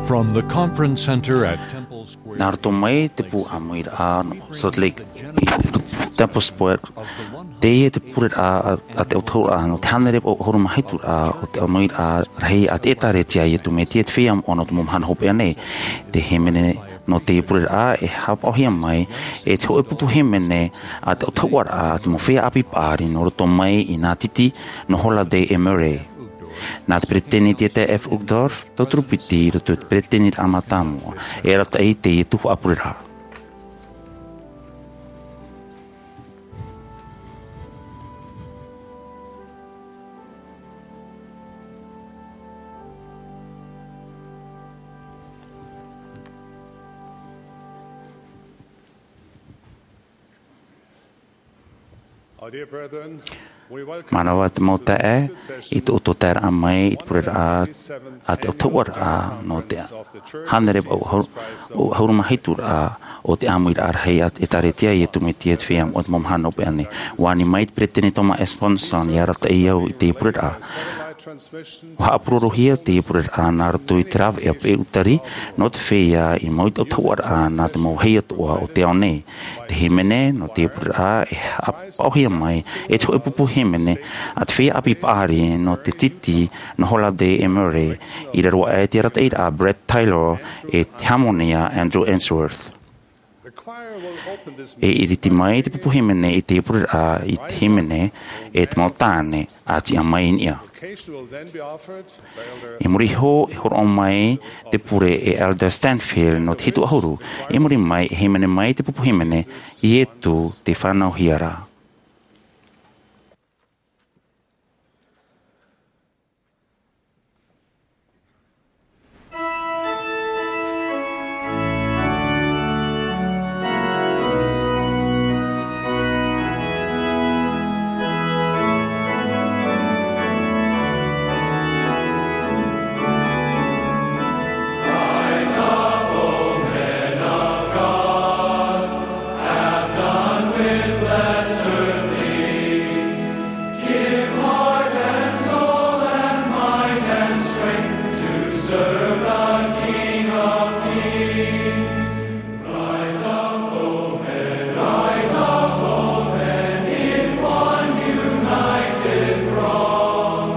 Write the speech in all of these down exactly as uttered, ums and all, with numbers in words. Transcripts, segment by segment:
From the conference center at Temple Square. Nā roto mai te pū ʻāmuiraʻa nō Salt Lake, Temple Square, teie te pureraʻa a, a te autahuʻaraʻa nō te hānere vaʻu ʻahuru mā hitu raʻa o te ʻāmuiraʻa rahi a te ʻĒtārētia a Iesu Mesia te feiā moʻa nō te mau mahana hopeʻa nei. Te hīmene nō teie pureraʻa e haʻapaʻohia mai e te hōʻē pupu hīmene a te autahuʻaraʻa a te mau feiā ʻāpī paʻari nō roto mai i Nā Titi, nō Holladay e Murray. Nā te peresideni Dieter F. Uchtdorf, tauturu piti i roto i te peresideniraʻa mātāmua, e arataʻi i teie tuhaʻa pureraʻa. Our dear brethren, we welcome Mānava te mau taeaʻe, i tō ʻoutou taeraʻa mai i te pureraʻa a te autahuʻaraʻa nō te hānere vaʻu ʻahuru, ʻahuru mā hitu raʻa o te ʻāmuiraʻa rahi a te ʻĒtārētia a Iesu Mesia te feiā moʻa nō te mau mahana hopeʻa nei. ʻUa ani mai te peresideni Thomas S. Monson, e arataʻi au i teie pureraʻa. ʻUa haʻapurorohia teie pureraʻa nā roto i te rāveʻa peʻe utari nō te feiā i mau i te autahuʻaraʻa nā te mau vāhi atoʻa o te ao nei. Te hīmene nō teie pureraʻa e haʻapaʻohia mai e te hōʻē pupu hīmene a te feiā ʻāpī paʻari nō Nā Titi, nō Holladay e Murray, i raro aʻe i te arataʻiraʻa a Brett Taylor e te hāmani a Andrew Ainsworth. E ʻiriti mai te pupu hīmene i teie pureraʻa i te hīmene e te mau tāne a tiʻa mai i niʻa. I muri iho e hōroʻa mai te pure e Elder Stanfield nō te hitu ʻahuru. I muri mai e hīmene mai te pupu hīmene Iesu te Fānauhia Ra. Have done with lesser things. Give heart and soul and mind and strength to serve the King of Kings. Rise up, O men, rise up, O men, in one united throng.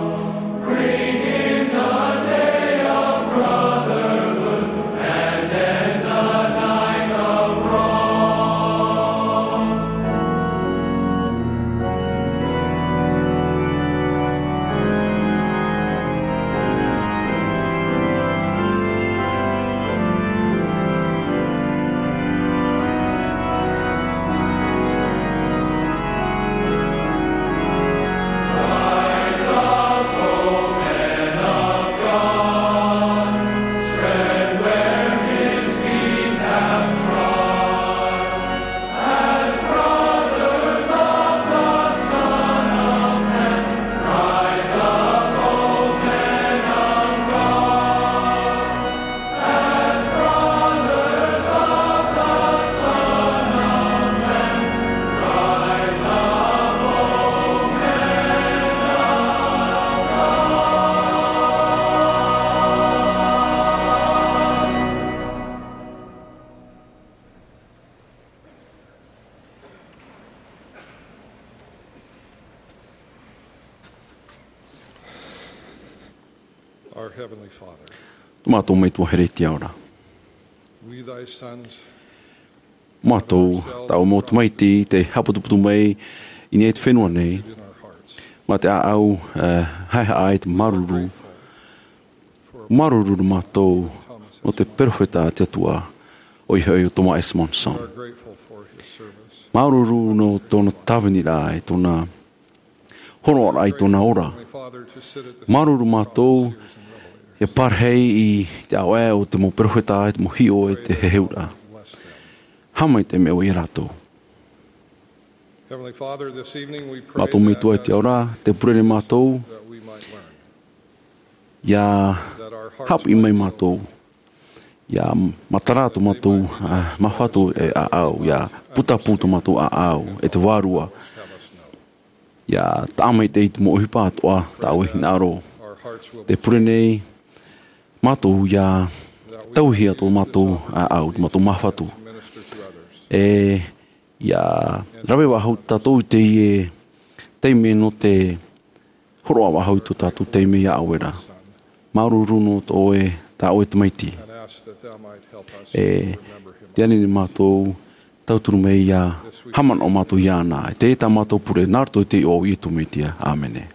Bring in the day of brotherhood and end the night of wrong. Rise up, O men of God, tread where his feet have trod. As brothers of the Son of Man, rise up, O men of God. As brothers of the Son of Man, rise up, O men of God. Our Heavenly Father, Tō mātou Metua Heretiaora. We, thy sons, Mātou, tāʻu mau tamaiti, tē haʻaputuputu mai i niʻa i te fenua nei, in our hearts. Mā te ʻāʻau, eh, haʻehaʻa i te māuruuru. Māuruuru mātou nō te perofeta a te Atua, ʻoia hoʻi ʻo Thomas S. Monson. We are grateful for his service. Māuruuru nō tōna tāviniraʻa, i tōna hōroʻaraʻa, i tōna ora. Māuruuru mātou, e pārahi i te ʻāvae o te mau perofeta, i te mau hiʻo, i te heheuraʻa. Haʻamaitaʻi mai ʻoe ia rātou. Heavenly Father, this evening we pray Mātou Metua i te ao ra, tē pure nei mātou, that we might learn. ʻIa haʻapiʻi mai mātou, ʻia matara tō mātou, ā, māfatu e ʻāʻau, ʻia putapū tō mātou ʻāʻau, e te Vārua, ʻia tāʻamaitaʻi i te mau ʻohipa atoʻa tā ʻoe hinaʻaro. Tē pure nei mātou ʻia tauhia tō mātou ʻāʻau, tō mātou māfatu. E, ʻia rave faʻahou tātou i teie taime nō te hōroʻa faʻahou i tō tātou taime iā ʻoe ra. Māuruuru nō tō ʻoe, tā ʻoe tamaiti. E, tē ani nei mātou, tauturu mai ʻia haʻamanaʻo mātou iāna. E teie tā mātou pure, nā roto i te iʻoa o Iesu Mesia. ʻĀmene.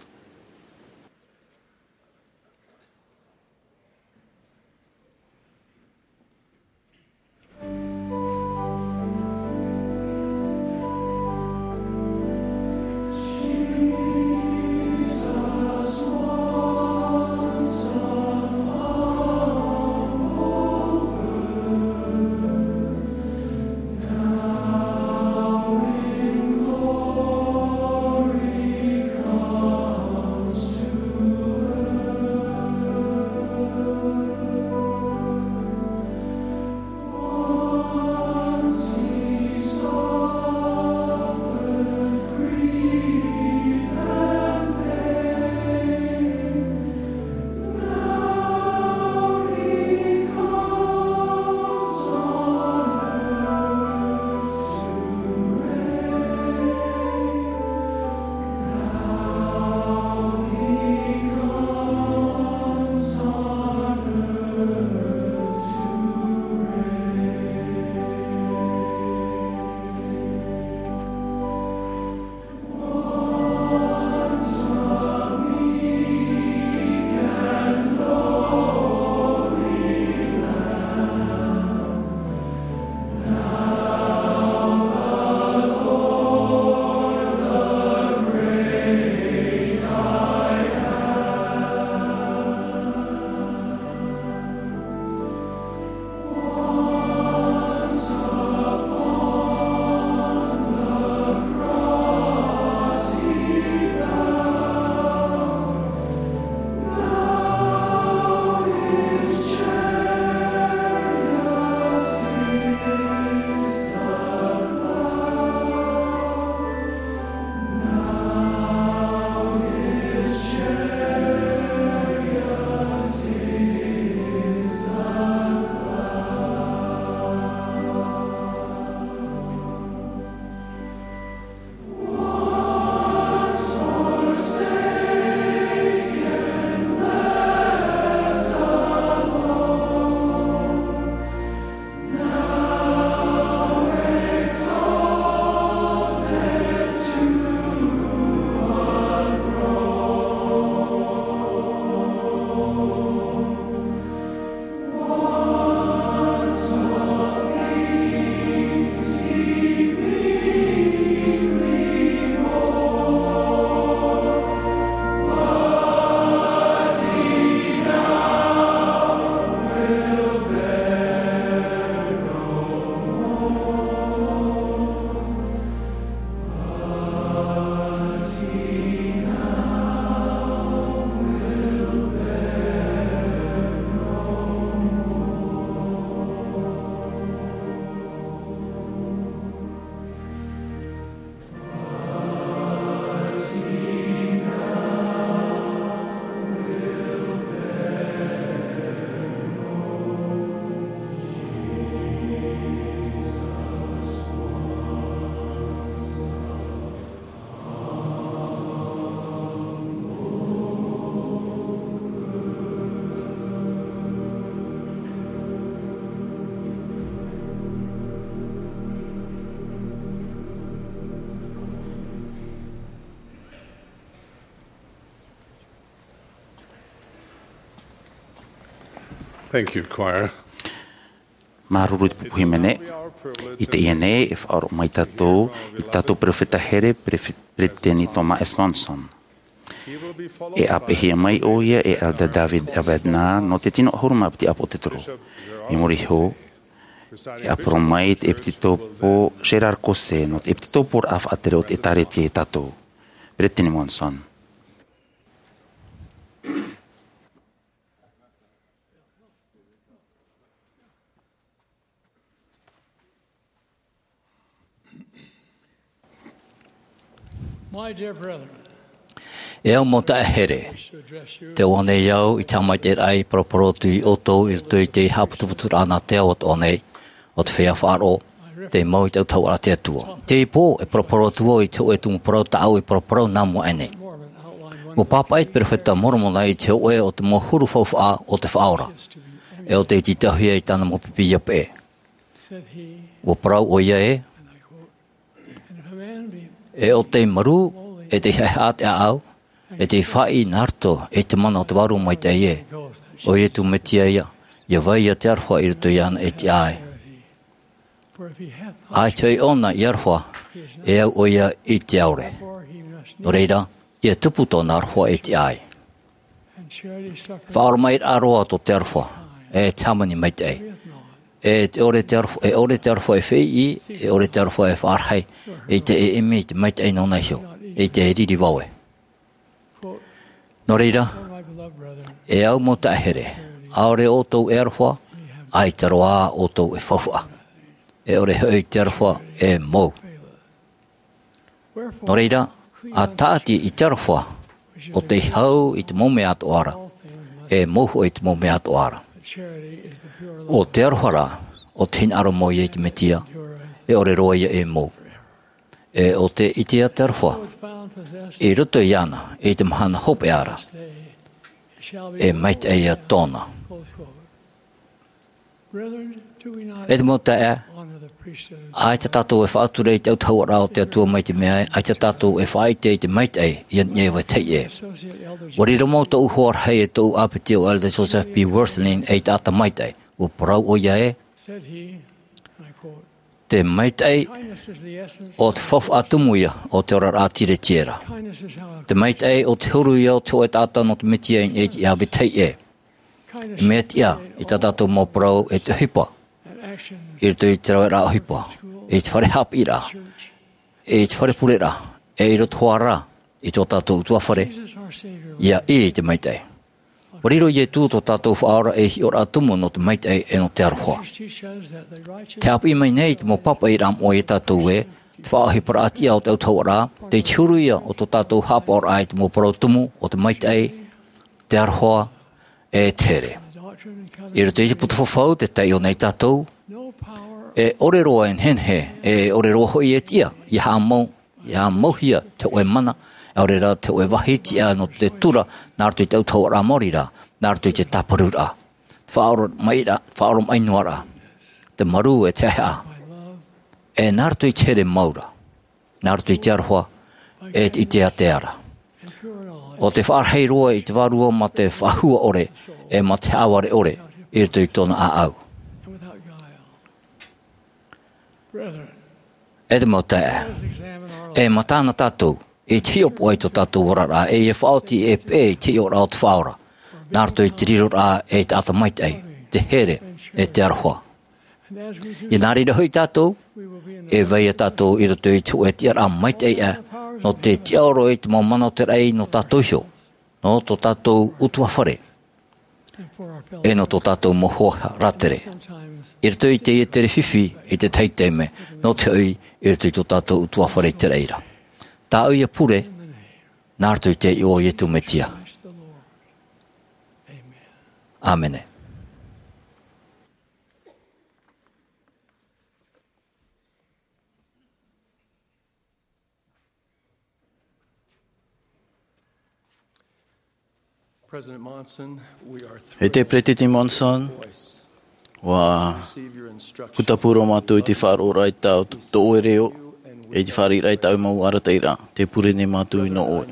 Thank you, choir. Māuruuru i te pupu hīmene. I teie nei, e faʻaroʻo mai tātou i tō tātou perofeta here, Perefe-, Peresideni Thomas S. Monson. E ʻāpeʻehia mai ʻoia e Elder David A. Bednar nō te tino ʻahuru mā piti ʻāpōsetolo. I muri iho, e ʻāpōsetolo mai te ʻEpitetopo Gérard Caussé nō te ʻepitetoporaʻa faʻatere o te ʻĒtārētia ia tātou. Peresideni Monson. My dear brethren, E au mau taeaʻe here, tē ʻoaʻoa nei au i te haʻamaitaʻiraʻa i paraparau atu iā ʻoutou i roto i te haʻaputuputuraʻa nā te ao atoʻa nei, ʻo te feiā faʻaroʻo, tei mau i te autahuʻaraʻa a te Atua. Teie pō, e paraparau atu vau i te hōʻē tumu parau tā ʻoe i paraparau nā mua aʻe nei. ʻUa pāpaʻi te perofeta a Moromona i te hōʻē o te mau huru faufaʻa o te Faʻaora. E ʻo tei tītauhia i tāna mau pipi ʻia peʻe. ʻUa parau ʻoia ē, e ʻo tei marū, e tei haʻehaʻa te ʻāʻau, e tei faʻaʻī nā roto i te mana o te Vārua Maitaʻi ē, ʻo Iesu Mesia ia, ʻia vai ïa te aroha i roto iāna e tiʻa ai. ʻAita hoʻi ʻōna i aroha, e au ʻoia i te ʻaore. Nō reira, ʻia tupu tōna aroha e tiʻa ai. Faʻaoromaʻiraʻa roa tō te aroha, e te hāmani maitaʻi. E te ʻore te aroha, e ʻore te aroha e feiʻi, e ʻore te aroha e faʻarahi, ʻeita e ʻimi i te maitaʻi nōna iho, ʻeita e riri vave. Nō reira, e au mau taeaʻe here, ʻaore ʻoutou e aroha, ʻaita roa ʻoutou e faufaʻa. E ʻore hoʻi te aroha e mou. Nō reira, ʻa tāʻati i te aroha, ʻo tei hau i te mau mea atoʻa ra, e mou hoʻi i te mau mea atoʻa ra. ʻO te aroha rā, ʻo te hinaʻaro mau ia i te Mesia, e ʻore roa ia e mou. E ʻo tē ʻitea te aroha, i roto iāna, i te mahana hopeʻa ra, e maitaʻi ia tōna. E te mau taeaʻe, ʻaita tātou e faʻatura i te autahuʻaraʻa o te Atua mai te mea ē, ʻaita tātou e faʻaʻite i te maitaʻi i niʻa i vetahi ʻē. ʻUa riro mau tōʻu hoa rahi e tōʻu ʻāpiti ʻo Elder Joseph B. Wirthlin ei taʻata maitaʻi. ʻUa parau ʻoia ē, te maitaʻi ʻo te faufaʻa tumu ia o te oraraʻa tiretiera. Te maitaʻi ʻo te huru ia o te hōʻē taʻata nō te Mesia i niʻa i vetahi ʻē. E mea tiʻa i tā tātou mau parau e te ʻohipa, i roto i te raveraʻa ʻohipa, i te fare haʻapiʻiraʻa, i te fare pureraʻa, e i roto hoʻi rā i tō tātou ʻutuāfare, ʻia ʻī i te maitaʻi. ʻUa riro Iesu tō tātou Faʻaora ei hiʻoraʻa tumu nō te maitaʻi e nō te aroha. Tē haʻapiʻi mai nei te mau pāpaʻiraʻa moʻa ia tātou ē, te faʻaʻohiparaʻa tiʻa o te autahuʻaraʻa, tei te huru ia o tō tātou haʻapaʻoraʻa i te mau parau tumu o te maitaʻi, te aroha, e te here. I roto i te puta fafau tē taiʻo nei tātou, e ʻore roa e nehenehe, e ʻore roa hoʻi e tiʻa, ʻia haʻamau, ʻia haʻamauhia te hōʻē mana, ʻaore rā te hōʻē vāhi tiʻa nō te tura, nā roto i te autahuʻaraʻa maori ra, nā roto i te tāparuraʻa. Te faʻaoromaʻiraʻa, faʻaoromaʻi noa ra, te marū e te haʻehaʻa, e nā roto i te here mau ra. Nā roto i te aroha, e te ʻite ātea ra. ʻO te faʻarahi roa i te Vārua mā te faʻahua ʻore, e mā te haʻavare ʻore, i roto i tōna ʻāʻau. E te mau taeaʻe, e matahiti tātou, i te hiʻopoʻa i tō tātou oraraʻa, e ʻia faʻaoti e peʻe i te hiʻoraʻa o te Faʻaora. Nā roto i te riroraʻa e te taʻata maitaʻi, te here, e te aroha. ʻIa nā reira hoʻi tātou, e vai ïa tātou i roto i te hōʻē tiʻaraʻa maitaʻi aʻe, nō te tiʻaoro i te mau mana o te raʻi nō tātou iho, nō tō tātou ʻutuāfare, e nō tō tātou mau hoa rātere. I roto i teie tere fifi i te tahi taime, nō te hoʻi i roto i tō tātou ʻutuāfare i te raʻi ra. Tāʻu ia pure, nā roto i te iʻoa o Iesu Mesia. ʻĀmene. E te Peretiteni Monson, ʻua putapū roa mātou i te faʻaroʻoraʻa i tā tō ʻoe reo, e te fāriʻiraʻa i tāʻu mau arataʻiraʻa, tē pure nei mātou nō ʻoe.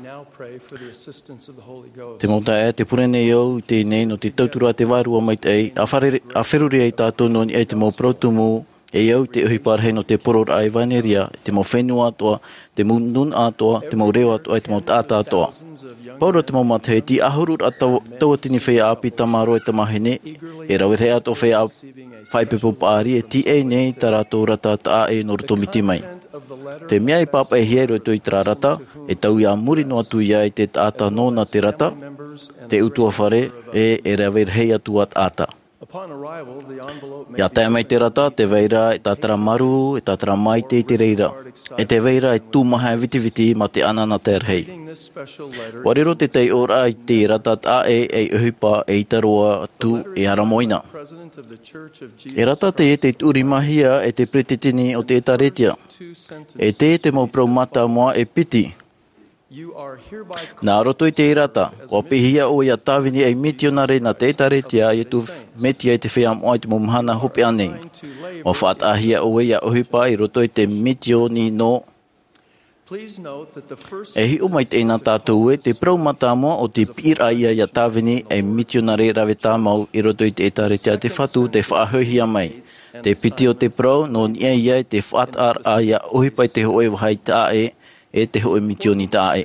Te mau taeaʻe, tē pure nei au i teie nei nō te tauturu a te Vārua Maitaʻi, ʻa fare-, ʻa feruri ai tātou nō niʻa i te mau parau tumu, e au i te ʻohipa rahi nō te poroʻraʻa ʻevanelia, i te mau fenua atoʻa, te mau nūnaʻa atoʻa, te mau reo atoʻa, e te mau taʻata atoʻa. Paʻari te mau matahiʻi, te ʻahuru ra tau-, tauatini feiā ʻāpī, tamāroa e tamāhine, e rave rahi atoʻa feiā faʻaipoipo paʻari, e tīaʻi nei tā rātou rata taʻa ʻē nō roto miti mai. Te mea i pāpaʻihia i roto i terā rata, e taui ā muri noa atu ia i te taʻata nōna te rata, te ʻutuāfare, e, e rave rahi atu ā taʻata. Ia tae mai te rata, te vai ra e tātara marū, e tātara maite i te reira, e te vai ra e tūmaha e vitiviti mā te ananahi rahi. Ua riro te taiʻoraʻa i te rata taʻe ei ʻohipa e ʻita roa atu e ʻaramoina. E rata teie tei tuʻurimahia e te peretiteni o te ʻētāretia. E teie te mau parau mātāmua e piti. Nā roto i te rata, ua piʻihia ʻoe ia Tāvini ei mitionare nā te ʻētāretia a Iesu Mesia i te feiā moʻa i te mau mahana hopeʻa nei. Ua faʻataʻahia ʻoe ia ʻohipa i roto i te misioni nō. E hiʻo mai teie nā tātou ē, te parau mātāmua o te piʻiraʻa ia ia Tāvini ei mitionare rave tāmau i roto i te ʻētāretia a te Fatu tei faʻahoʻihia mai. Te piti o te parau, nō niʻa ia i te faʻataʻaraʻa ia ʻohipa i te hōʻē vāhi taʻe, e te hōʻē misioni taʻe.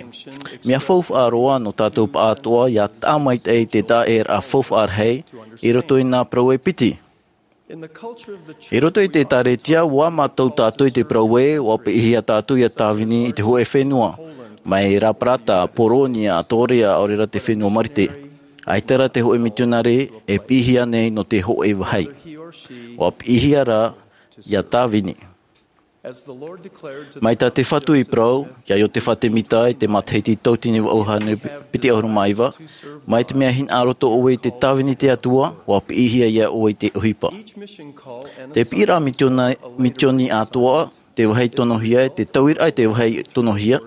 Mea faufaʻa roa nō tātou pāʻātoʻa ia tāmaitaʻi i te taʻeraʻa faufaʻa rahi i roto i nā parau e piti. I roto i te ʻētāretia, ua mātau tātou i te parau ē, ua piʻihia tātou ia Tāvini i te hōʻē fenua. Mai Raparata, Poronia, Torea, ʻaore rā te fenua Marite. ʻAita rā te hōʻē mitionare e piʻihia nei nō te hōʻē vāhi. Ua piʻihia rā ia Tāvini. Mai tā te Fatu i parau, ia Iotefa Temita i te matahiti tauatini vaʻu hānere piti ʻahuru mā iva, mai te mea hinaʻaro atoʻa ʻoe i te Tāvini te Atua, ua piʻihia ia ʻoe i te ʻohipa. Te piʻiraʻa misiona-, misioni atoʻa, te vāhi tonohia, e te tauiraʻa i te vāhi tonohia,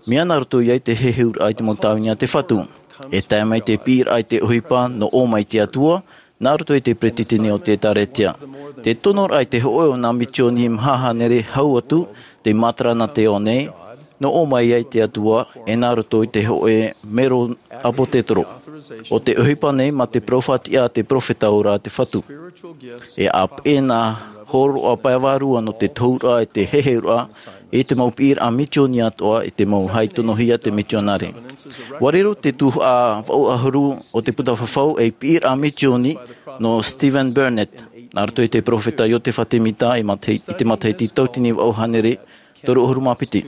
mea nā roto ia i te heheuraʻa i te mau tāvini a te Fatu. E tae mai te piʻiraʻa i te ʻohipa, nō ʻō mai te Atua, nā roto i te peretiteni o te ʻētāretia. Te tonoraʻa i te hōʻē o nā misioni maha hānere hau atu, tei matara nā te ao nei, nō ʻō mai ai te Atua, e nā roto i te hōʻē mero ʻāpōsetolo. ʻO te ʻohipa nei mā te parau faʻatiʻa a te perofeta ora a te Fatu. E ʻāpeʻe nā hōroʻa pae vārua nō te tohuraʻa e te heheuraʻa, i te mau piʻiraʻa misioni atoʻa, i te mau vāhi tonohia te misionare. Ua riro te tuhaʻa vaʻu ʻahuru o te puta fafau ei piʻiraʻa misioni nō Stephen Burnett, nā roto i te perofeta Iotefa Temita i matahi-, i te matahiti tauatini vaʻu hānere toru ʻahuru mā piti.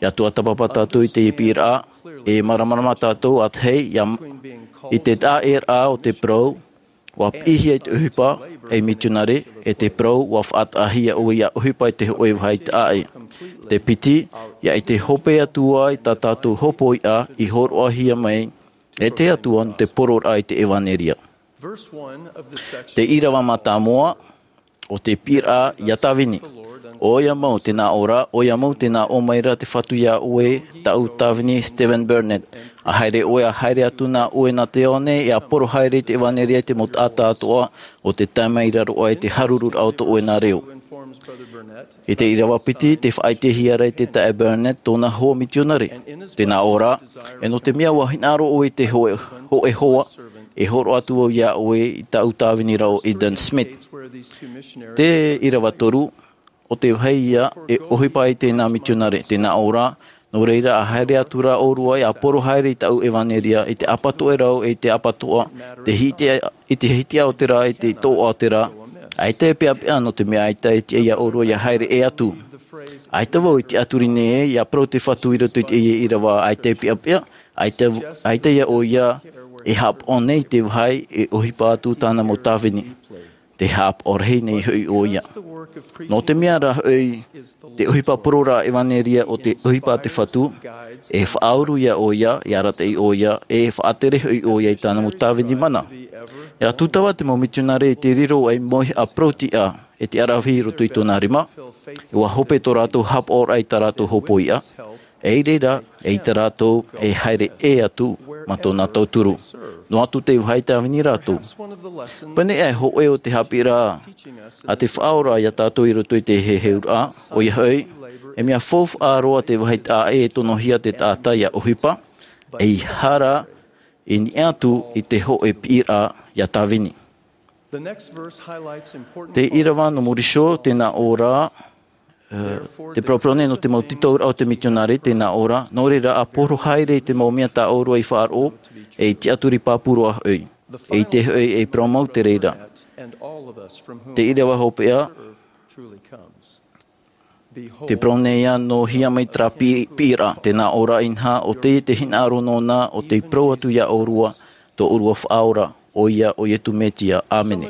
Ia tuatāpapa tātou i te piʻiraʻa, e māramarama tātou ʻātahi, ia, i te taʻeraʻa o te parau, ua piʻihia i te ʻohipa ei misionare, e te parau, ua faʻataʻahia ʻoe ia ʻohipa i te hōʻē vāhi taʻe. Te piti, ia i te hope atu ā i tā tātou hopoiʻa i hōroʻahia mai e te Atua nō te pororaʻa i te ʻevaneria. Te ʻīrava mātāmua, ʻo te piʻiraʻa ia Tāvini. ʻOia mau tēnā ʻō ra, ʻoia mau tēnā ʻō mai ra te Fatu ia ʻoe, tāʻu Tāvini Stephen Burnett. ʻA haere ʻoe, ʻa haere atu nā ʻoe nā te ao nei, e ʻa poro haere i te ʻevaneria i te mau taʻata atoʻa, ʻo tē tae mai ra roa i te harururaʻa o tō ʻoe nā reo. I te ʻīrava piti, tē faʻaʻitehia ra e te taeaʻe Burnett tōna hoa misionare. Tēnā ʻō ra, e nō te mea ua hinaʻaro ʻoe i te hōʻē, hōʻē hoa, e hōroʻa atu vau ia ʻoe i tāʻu Tāvini ra ʻo Eldon Smith. Te ʻīrava toru, ʻo te vāhi ia e ʻohipa ai tēnā misionare, tēnā ʻō ra, nō reira ʻa haere atu ra ʻōrua e ʻa poro haere i tāʻu ʻevaneria, i te ʻāpatoʻerau, i te ʻāpatoʻa, te hiti-, i te hitiʻaotera, i te tōʻaotera, ʻaita e peʻapeʻa nō te mea ʻaita e tiʻa ia ʻōrua ia haere ʻē atu. ʻAita vau i tiʻaturi nei ē, ia parau te Fatu i roto i teie ʻīrava, ʻaita e peʻapeʻa, ʻaita, ʻaita ia ʻoia e haʻapaʻo nei te vāhi e ʻohipa atu tāna mau tāvini. Te haʻapaʻo rahi nei hoʻi ʻoia. Nō te mea rā hoʻi, te ʻohipa pororaʻa ʻevaneria ʻo te ʻohipa a te Fatu, e faʻauru ia ʻoia, e arataʻi ʻoia, e faʻatere hoʻi ʻoia i tāna mau tāvini mana. ʻIa tūtava te mau misionare i te riro ei mauhaʻa parau-tiʻa, e te ʻaravihi i roto i tōna rima, e ua hope tō rātou haʻapaʻoraʻa i tā rātou hopoiʻa, e i reira, eʻita rātou e haere ʻē atu mā tōna tauturu. Noa atu te vāhi tāvini rātou. Pēneiaʻe hōʻē o te haʻapiʻiraʻa a te Faʻaora ia tātou i roto i te heheuraʻa, ʻoia hoʻi, e mea faufaʻa roa te vāhi taʻa ʻē e tonohia te taʻata ia ʻohipa, ʻeiaha rā i niʻa atu i te hōʻē piʻiraʻa ia tāvini. Te ʻīrava nō muri iho, tēnā ʻō ra, ē, te parauparau nei nō te mau tītauraʻa o te mitionare, tēnā ʻō ra, nō reira ʻa poro haere i te mau mea tā ʻōrua i faʻaroʻo, e i tiʻaturi pāpū roa hoʻi, e i te hoʻi e parau mau te reira. Te ʻīrava hopeʻa, te parau nei ā nō hia mai terā pi-, piʻiraʻa, tēnā ʻō ra inaha, ʻo teie te hinaʻaro nōna, ʻo tei parau atu ia ʻōrua, tō ʻōrua Faʻaora, ʻoia ʻo Iesu Mesia. ʻĀmene.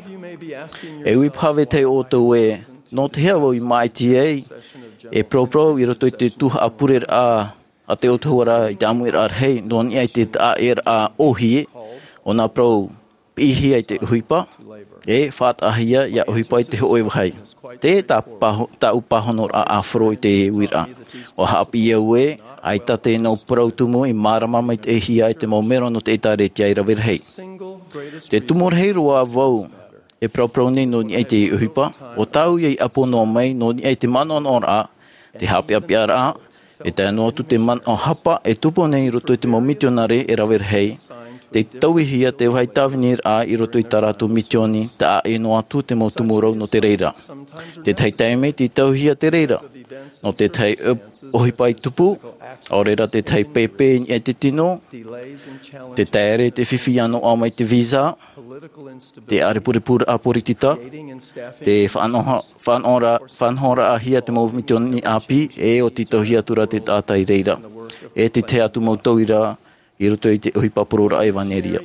E ui paha vetahi ʻoutou ē, nō te aha vau i māʻiti ai e paraparau i roto i te tuhaʻa pureraʻa a te ʻOtua ra i te ʻāmuiraʻa rahi, nō niʻa i te taʻaʻēraʻa ʻōhie, ʻo nā parau piʻihia i te ʻohipa, e faʻataʻahia ʻia ʻohipa i te hōʻē vāhi. Te tā paho-, tāʻu pāhonoraʻa ʻāfaro i te uiraʻa. ʻUa haʻapiʻi au ē, ʻaita te nau parau tumu i mārama maitaʻihia e te mau mero nō te ʻĒtārētia i rave rahi. Te tumu rahi roa vau e paraparau nei nō niʻa i te ʻohipa, ʻo tāʻu ïa i ʻapo noa mai nō niʻa i te manaʻonaʻoraʻa, te haʻapeʻapeʻaraʻa, e tae noa atu te manaʻo hapa e tupu nei i roto i te mau mitionare e rave rahi, tei tauihia te vāhi tāviniraʻa i roto i tā rātou misioni, taʻa ʻē noa atu te mau tumu rau nō te reira. Tētahi taime tei tauihia te reira, nō tētahi ʻo-, ʻohipa i tupu, ʻaore rā tētahi pēpē i niʻa i te tino, te taere te fifi ʻia noaʻa mai te visa, te ʻārepurepuraʻa poritita, te faʻanaho-, faʻanahoraʻa, faʻanahoraʻahia te mau misioni ʻāpī, e ʻo tītauhia atu ra te taʻata i reira. E te tahi atu mau tauira i roto i te ʻohipa parauʻraʻa ʻevanelia.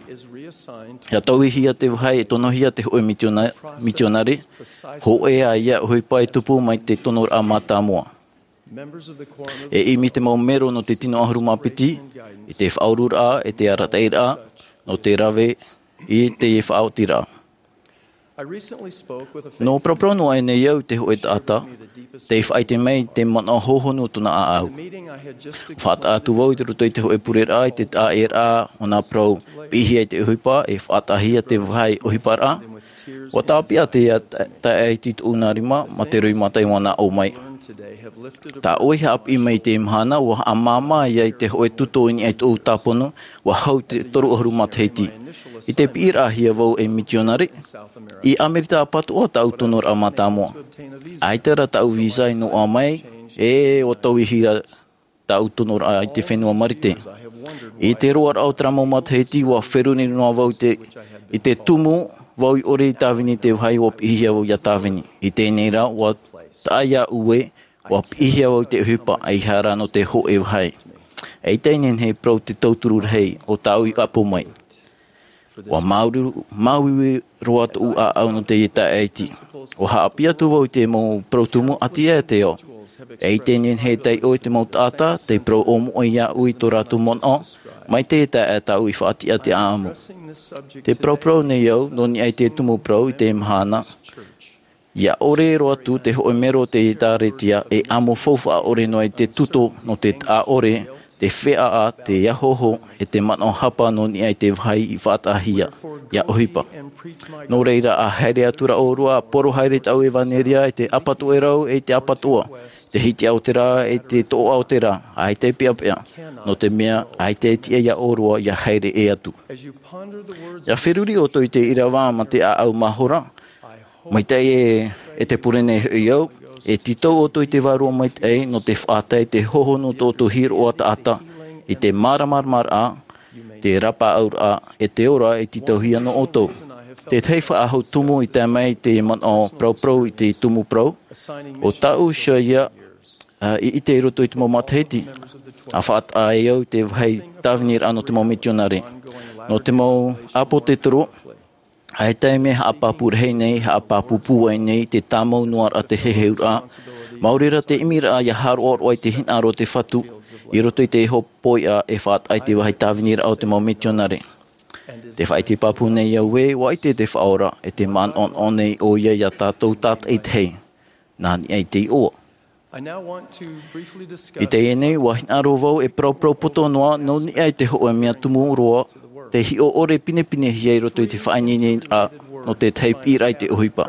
ʻIa tauihia te vāhi e tonohia te hōʻē misiona-, misionare, hōʻē ā ïa ʻohipa e tupu mai te tonoraʻa mātāmua. E ʻimi te mau mero nō te tino ʻahuru mā piti, i te faʻaururaʻa, e te arataʻiraʻa, nō te rave i te faʻaotiraʻa. Nō paraparau noa aʻe nei au i te hōʻē taʻata, tei faʻaʻite mai te manaʻo hōhonu o tōna ʻāʻau. Faʻataʻa atu vau i roto i te hōʻē pureraʻa, i te taʻaʻēraʻa, ʻo nā parau, piʻihia i te ʻohipa, e faʻataʻahia te vāhi ʻohiparaʻa. ʻUa tāpeʻa te ta-, taeaʻe i tōʻu nā rima, mā te roimata i manaʻo mai. Tā ʻoe haʻapiʻi mai i teie mahana, ʻua haʻamāmā ïa i te hōʻē tuto i niʻa i tōʻu tāpono, ʻua hau te toru ʻahuru matahiti. I te piʻiraʻahia vau ei misionare, i ʻAmerika ʻapatoʻa tāʻu tonoraʻa mātāmua. ʻAita rā tāʻu visa i noaʻa mai, e ʻua tauihi rā tāʻu tonoraʻa i te fenua Marite. I te roaraʻa o terā mau matahiti, ʻua feruri noa vau i te, i te tumu, vau i ʻore i tāvini i te vāhi ʻua piʻihia vau ʻia tāvini. I teie nei rā, ʻua taʻa iāʻu ē, ʻua piʻihia vau i te ʻohipa, ʻeiaha rā nō te hōʻē vāhi. ʻEita e nehenehe e parau te tauturu rahi o tāʻu i ʻapo mai. ʻUa māuiui, māuiui roa tōʻu ʻāʻau nō teie taeaʻe iti. ʻUa haʻapiʻi atu vau i te mau parau tumu ʻati aʻe te ao. ʻEita e nehenehe e taiʻo i te mau taʻata, tei parau ʻōmoʻe iāʻu i tō rātou manaʻo, mai teie taeaʻe tāʻu i faʻatiʻa te ʻāʻamu. Tē paraparau nei au, nō niʻa i te tumu parau i teie mahana. ʻIa ʻore roa atu te hōʻē mero o te ʻĒtārētia e ʻamo faufaʻa ʻore noa i te tuto nō te taʻa ʻore, te feʻaʻa, te ahoaho, e te manaʻo hapa nō niʻa i te vāhi i faʻataʻahia, ʻia ʻohipa. Nō reira, ʻa haere atu ra ʻōrua, ʻa poro haere tāʻu ʻevanelia i te ʻapatoʻerau e i te ʻapatoʻa, te hitiʻa o te rā e te toʻoʻa o te rā, ʻaita e peʻapeʻa, nō te mea, ʻaita e tiʻa iā ʻōrua ʻia haere ʻē atu. ʻIa feruri ʻoutou i te ʻīrava mā te ʻāʻau mahora, maitaʻi ē, e te pure nei hoʻi au, e tītau ʻoutou i te vārua maitaʻi nō te faʻatae i te hōhonu o tō ʻoutou hiʻoraʻa taʻata, i te māramaramaraʻa, te rapaʻauraʻa, e te ora e tītauhia nō ʻoutou. Te tahi faʻahou tumu i tae mai i te manaʻo paraparau i te tumu parau, ʻo tāʻu ʻoia, ā, i ʻite i roto i te mau matahiti, ʻa faʻataʻa ai au i te vāhi tāviniraʻa nō te mau mitionare. Nō te mau ʻāpōsetolo, ʻaita e mea haʻapāpū rahi nei, haʻapāpū pūai nei, te tāmau noa ra te heheuraʻa. Maori rā te ʻimiraʻa ʻia haʻaroʻaroʻa i te hinaʻaro o te Fatu, i roto i te hōpoiʻa e faʻataʻa i te vāhi tāviniraʻa o te mau mitionare. Tē faʻaʻite pāpū nei au ē, ʻua ʻite te Faʻaora, e tē manaʻonaʻo nei ʻoia iā tātou tātaʻitahi. Nā niʻa i te iʻoa. I teie nei, ʻua hinaʻaro vau e paraparau poto noa, nō niʻa i te hōʻē mea tumu roa, te hiʻo ʻore pinepinehia i roto i te faʻaineineraʻa, nō te tahi piʻiraʻa i te ʻohipa.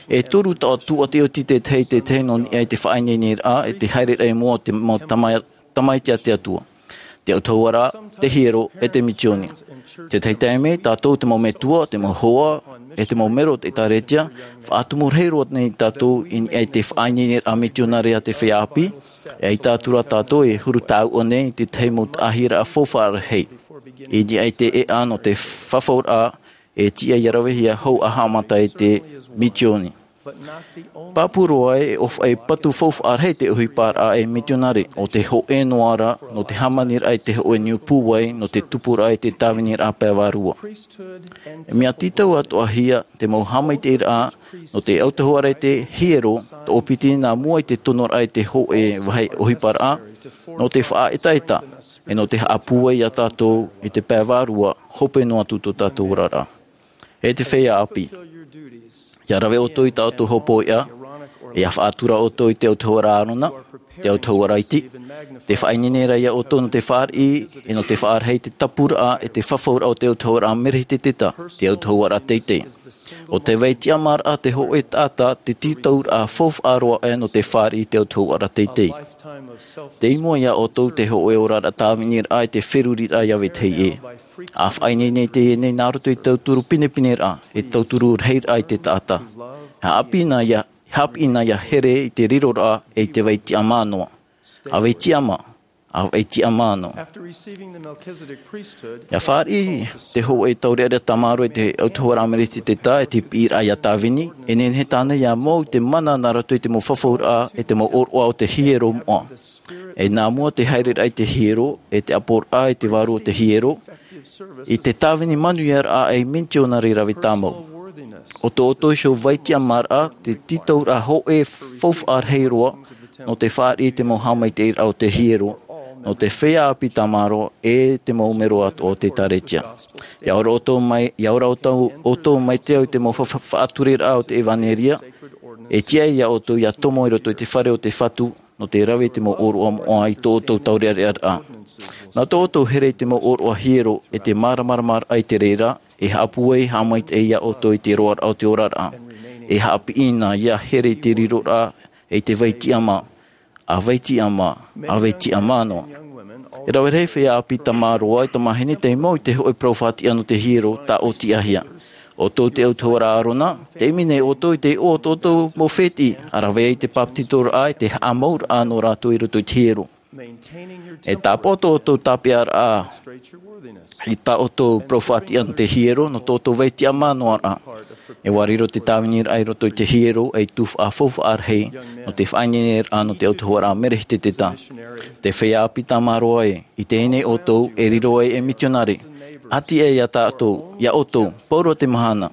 E toru taʻo tūʻati oti te tahi, te tahi nō niʻa i te faʻaineineraʻa, e te haereraʻa i mua o te mau tama-, tamaiti a te Atua. Te autahuʻaraʻa, te hiero, e te misioni. Te tahi taime, tātou te mau metua, te mau hoa, e te mau mero o te ʻĒtārētia, faʻatumu rahi roa nei tātou i niʻa i te faʻaineineraʻa mitionare a te feiā ʻāpī, e ʻaita atu rā tātou e huru tāuʻa nei i te tahi mau taʻahiraʻa faufaʻa rahi. I niʻa i te ʻēʻa nō te fafauraʻa, e tiʻa ʻia ravehia hau ʻa haʻamata i te misioni. Pāpū roa e ʻōfaʻi patu faufaʻa rahi te ʻohiparaʻa ei mitionare, ʻo te hōʻē noa ra nō te hāmaniraʻa i te hōʻē niu pūai nō te tupuraʻa i te tāviniraʻa pae vārua. E mea tītau atoʻa hia te mau haʻamaitaʻiraʻa nō te autahuʻaraʻa i te hiero, toʻopiti nā mua i te tonoraʻa i te hōʻē vāhi ʻohiparaʻa, nō te faʻaetaeta, e nō te haʻapūai iā tātou i te pae vārua, hope noa atu tō tātou oraraʻa. E te feiā ʻāpī, ʻia rave ʻoutou i tā ʻoutou hopoiʻa, ʻia faʻatura ʻoutou i te autahuʻaraʻa ʻĀrona, te autahuʻaraʻa Iti, tē faʻaineine ra iā ʻoutou nō te fāriʻi, e nō te faʻarahi i te tapuraʻa, e te fafauraʻa o te autahuʻaraʻa Merehiteteta, te autahuʻaraʻa teitei. ʻO te vai tiʻamāraʻa te hōʻē taʻata, te tītauraʻa faufaʻa roa aʻe nō te fāriʻi i te autahuʻaraʻa teitei. Tei mua iā ʻoutou te hōʻē oraraʻa tāviniraʻa i te feruriraʻa iā vetahi ʻē. ʻA faʻaineine teie nei nā roto i te tauturu pinepineraʻa, e tauturu rahiraʻa i te taʻata. ʻA haʻapiʻi na ʻia, haʻapiʻi na ʻia here i te riroraʻa e i te vai tiʻamā noa. ʻA vai tiʻamā, ʻa vai tiʻamā noa. After receiving the Melchizedek priesthood, ʻIa fāriʻi te hōʻē taureʻareʻa tāmārō i te autahuʻaraʻa Merehiteteta e te piʻiraʻa ʻia tāvini, e nehenehe tāna ʻia mau i te mana nā roto i te mau fafauraʻa e te mau ʻōroʻa o te hiero moʻa. E nā mua te haereraʻa i te hiero, e te ʻāpoʻoraʻa i te vārua o te hiero, i te tāvini manuiaraʻa ei mitionare rave tāmau. ʻO tō ʻoutou iho vai tiʻamāraʻa, te tītauraʻa hōʻē faufaʻa rahi roa, nō te fāriʻi i te mau haʻamaitaʻiraʻa o te hiero, nō te feiā ʻāpī tāmārō, e te mau mero atoʻa o te ʻĒtārētia. ʻIa ora ʻoutou mai, ʻia ora ʻoutou, ʻoutou maitaʻi i te mau fa-, fa-, faʻatureraʻa o te ʻevanelia, e tiʻa iā ʻoutou ʻia tomo i roto i te fare o te Fatu, nō te rave i te mau ʻōroʻa moʻa i tō ʻoutou taureʻareʻaraʻa. Nā tō ʻoutou here i te mau ʻōroʻa hiero, e te māramaramaraʻa i te reira, e haʻapūai haʻamaitaʻi iā ʻoutou i te roaraʻa o te oraraʻa. E haʻapiʻi na ʻia here i te riroraʻa, e i te vai tiʻamā, ʻa vai tiʻamā, ʻa vai tiʻamā noa. E rave rahi feiā ʻāpī tāmārō e tamāhine tei mau i te hōʻē parau faʻatiʻa nō te hiero, tāʻōtiʻahia. ʻO tō te autahuʻaraʻa ʻĀrona, tei ʻimi nei ʻoutou i te iʻoa o tō ʻoutou mau fētiʻi, ʻa rave ai te bāpetizoraʻa, e te haʻamauraʻa nō rātou i roto i te hiero. E tāpaʻo tō ʻoutou tāpeʻaraʻa i tā ʻoutou parau faʻatiʻa nō te hiero, nō tō ʻoutou vai tiʻamā noa ra. E ʻua riro te tāviniraʻa i roto i te hiero, ei tuhaʻa faufaʻa rahi, nō te faʻaineineraʻa nō te autahuʻaraʻa Merehiteteta. Te feiā ʻāpī tāmārō ē, i teie nei ʻoutou, e riro ai ei mitionare. ʻA tiʻa iā tātou, iā ʻoutou, pauroa te mahana.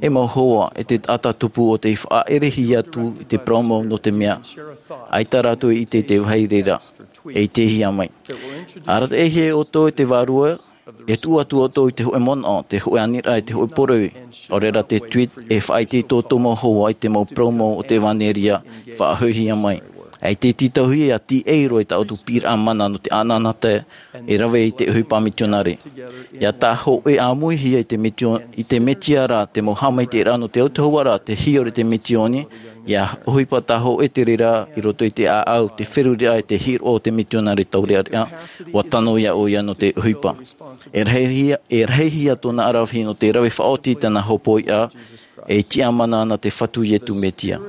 E mau hoa, e te taʻata tupu ʻo tei faʻaʻerehia atu i te parau mau nō te mea. ʻAita rātou i ʻite i te vāhi reira. E ʻitehia mai. ʻA arataʻihia e ʻoutou e te Vārua, e tuʻu atu ʻoutou i te hōʻē manaʻo, te hōʻē aniraʻa, e te hōʻē poroʻi. ʻAore rā te tweet, e faʻaʻite i tō ʻoutou mau hoa i te mau parau mau o te ʻevanelia, faʻahoʻihia mai. E te tītauhia ʻia tīaʻi roa i tā ʻoutou piʻiraʻa mana nō te ʻanaʻanatae, e rave i te ʻohipa mitionare. ʻIa tāhōʻē ʻāmuihia i te mitio-, i te Mesia ra, te mau haʻamaitaʻiraʻa nō te autahuʻaraʻa, te hiero i te misiōni, ʻia ʻohipa tāhōʻē te reira i roto i te ʻāʻau, te feruriraʻa, e te hiroʻa o te mitionare taureʻareʻa, ʻua tano iā ʻoia nō te ʻohipa. E rahihia, e rahihia tōna ʻaravihi nō te rave faʻaoti i tāna hopoiʻa, e tiʻamana ana te Fatu Iesu Mesia.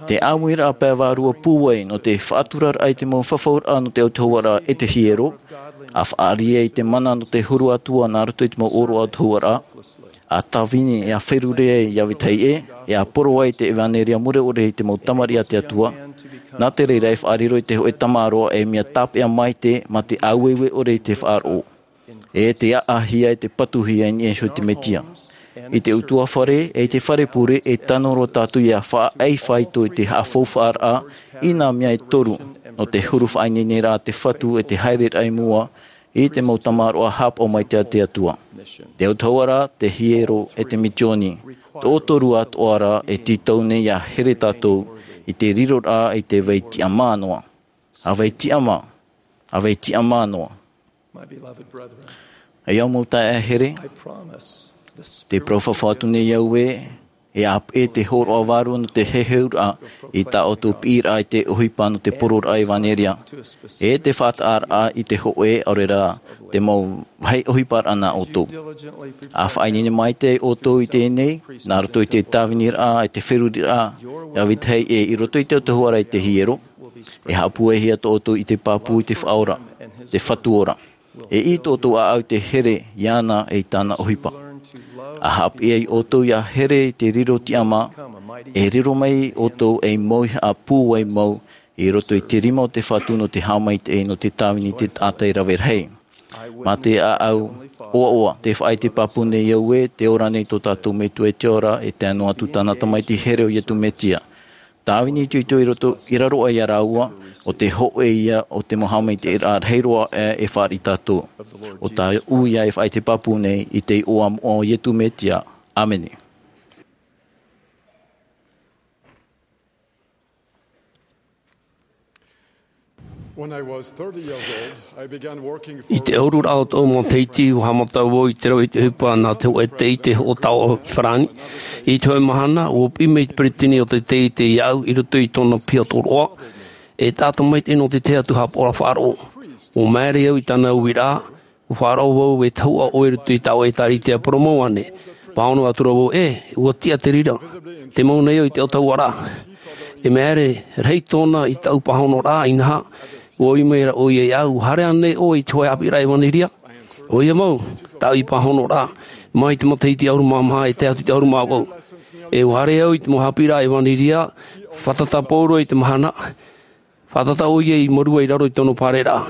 Te ʻāmuiraʻa pae vārua pūai nō te faʻaturaraʻa i te mau fafauraʻa nō te autahuʻaraʻa e te hiero, ʻa faʻaʻite i te mana nō te huru atoʻa nā roto i te mau ʻōroʻa autahuʻaraʻa, ʻa tāvini, e ʻa feruri ai iā vetahi ʻē, e ʻa poro ai te ʻevanelia mure ʻore i te mau tamariʻi a te Atua, nā te reira e faʻariro i te hōʻē tāmārō ei mea tāpeʻa maitaʻi, mā te ʻāueue ʻore i te faʻaroʻo. E te ʻaʻahia, e te patuhia i niʻa iho i te Mesia. I te ʻutuāfare, e i te fare pure, e tano roa tātou ʻia faʻaʻai faito i te haʻafaufaʻaraʻa i nā mea e toru, nō te huru faʻaineineraʻa a te Fatu, e te haereraʻa i mua i te mau tāmārō haʻapaʻo maitaʻi a te Atua. Te autahuʻaraʻa, te hiero, e te misiōni. Tō ʻoutou atoʻa ra e tītau nei ʻia here tātou i te riroraʻa i te vai tiʻamā noa. ʻA vai tiʻamā, ʻa vai tiʻamā noa. Ei au mau taeaʻe here, te parau fafau atu nei au ē, e ʻāpeʻe te hōroʻa vārua nō te heheuraʻa i tā ʻoutou piʻiraʻa i te ʻohipa nō te pororaʻa ʻevanelia, e te faʻataʻaraʻa i te hōʻē, ʻaore rā, te mau vāhi ʻohiparaʻa nā ʻoutou. ʻA faʻaineine maitaʻi ʻoutou i teie nei, nā roto i te tāviniraʻa, i te feruriraʻa, iā vetahi ʻē i roto i te autahuʻaraʻa i te hiero, e haʻapūaihia tō ʻoutou ʻite pāpū i te Faʻaora, te Fatu ora. E ʻī tō ʻoutou ʻāʻau i te here iāna e i tāna ʻohipa. ʻA haʻapiʻi ai ʻoutou ʻia here i te riro tiʻamā, E riro mai ʻoutou ei mau ihaʻa pūai mau i roto i te rima o te Fatu nō te haʻamaitaʻi nō te tāvini i te taʻata e rave rahi. Mā te ʻāʻau ʻoaʻoa, tē faʻaʻite pāpū nei au ē, tē ora nei tō tātou Metua i te ora, e tae noa atu tāna Tamaiti here ʻo Iesu Mesia. Tāvini itoito i roto, i raro aʻe ia rāua, ʻo tē hōʻē ia o te mau haʻamaitaʻiraʻa rahi roa aʻe e fāriʻi tātou. ʻO tāʻu ia e faʻaʻite pāpū nei i te iʻoa moʻa o Iesu Mesia. ʻĀmene. When I was thirty years old, I began working for I te ʻahururaʻa o tōʻu matahiti, ʻua haʻamata vau i te rave i te ʻohipa nā te hōʻē taiete hoʻo taoʻa i Farāni. I te hōʻē mahana, ʻua piʻi mai te peretiteni o te taiete iāʻu i roto i tōna piha tōroʻa. E taʻata maitaʻi nō te tahi atu haʻapaʻoraʻa faʻaroʻo. ʻUa māere au i tāna uiraʻa, ʻua faʻaroʻo vau e tahuʻa ʻoe i roto i tāʻu ʻētāretia, parau mau ānei. Pāhono atura vau, ʻē, ʻua tiʻa te reira. Tē mau nei au i te autahuʻaraʻa. E mea rahi tōna i tāʻu pāhonoraʻa, inaha, ʻua ui mai ra ʻoia iāʻu, ʻua haere ānei ʻoe i te hōʻē haʻapiʻiraʻa ʻevanelia? ʻOia mau, tāʻu i pāhonoraʻa, mai te matahiti ʻahuru mā maha e tae atu i te ʻahuru mā vaʻu. E ʻua haere au i te mau haʻapiʻiraʻa ʻevanelia, fātata pauroa i te mahana, fātata ʻoia i Marua i raro i tōna pāreraʻa.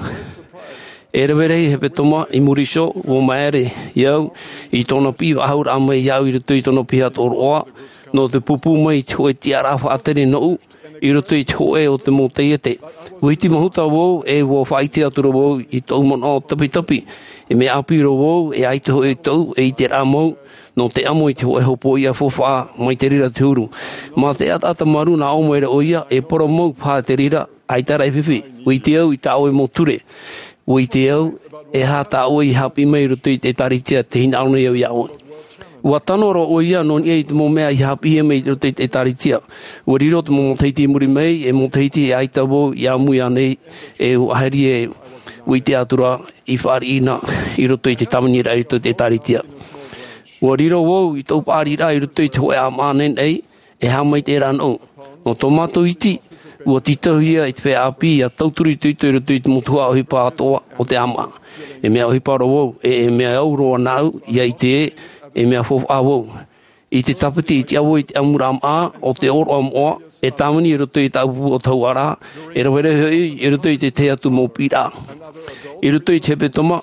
E rave rahi hepetoma i muri iho, ʻua māere au i tōna piʻi faʻahou mai iāʻu i roto i tōna piha tōroʻa, nō te pūpū mai i te hōʻē tiʻaraʻa faʻatere nōʻu, i roto i te hōʻē o te mau taiete. ʻUa iti mahuta vau, e ʻua faʻaʻite atura vau i tōʻu manaʻo tapitapi, e mea ʻāpī roa vau, e ʻaita hoʻi tōʻu, e ʻiteraʻa mau, nō te ʻamo i te hōʻē hopoiʻa faufaʻa mai te reira te huru. Mā te ʻataʻata marū nā ʻō mai ra ʻoia, e parau mau paha te reira, ʻaita rā e fifi. ʻUa ʻite au i tā ʻoe mau ture. ʻUa ʻite au, e aha tā ʻoe i haʻapiʻi mai i roto i te ʻētāretia tē hinaʻaro nei au iā ʻoe. ʻUa tano roa ʻoia nō niʻa i te mau mea i haʻapiʻihia mai i roto i te ʻētāretia. ʻUa riro te mau matahiti i muri mai, e matahiti e ʻaita vau i ʻāmui ānei, e ʻua ʻahiʻahi e ʻua ʻite atura i fāriʻi na i roto i te tāviniraʻa i roto i te ʻētāretia. ʻUa riro vau i tōʻu paʻariraʻa i roto i te hōʻē ʻāmaʻa naʻinaʻi, e haʻamaitaʻi ra nōʻu. Nō tō mātou iti, ʻua tītauhia i te feiā ʻāpī ʻia tauturu itoito i roto i te mau tuhaʻa ʻohipa atoʻa o te ʻāmaʻa. E mea ʻohipa roa vau, e, e mea au roa nāʻu, ʻia ʻite ē, e mea faufaʻa vau. I te tāpiti i tiʻa vau i te ʻamuraʻa maʻa o te ʻōroʻa moʻa, e tāvini i roto i tāʻu pupu autahuʻaraʻa, e rave rahi hoʻi i roto i te tahi atu mau piʻiraʻa. I roto i te hepetoma,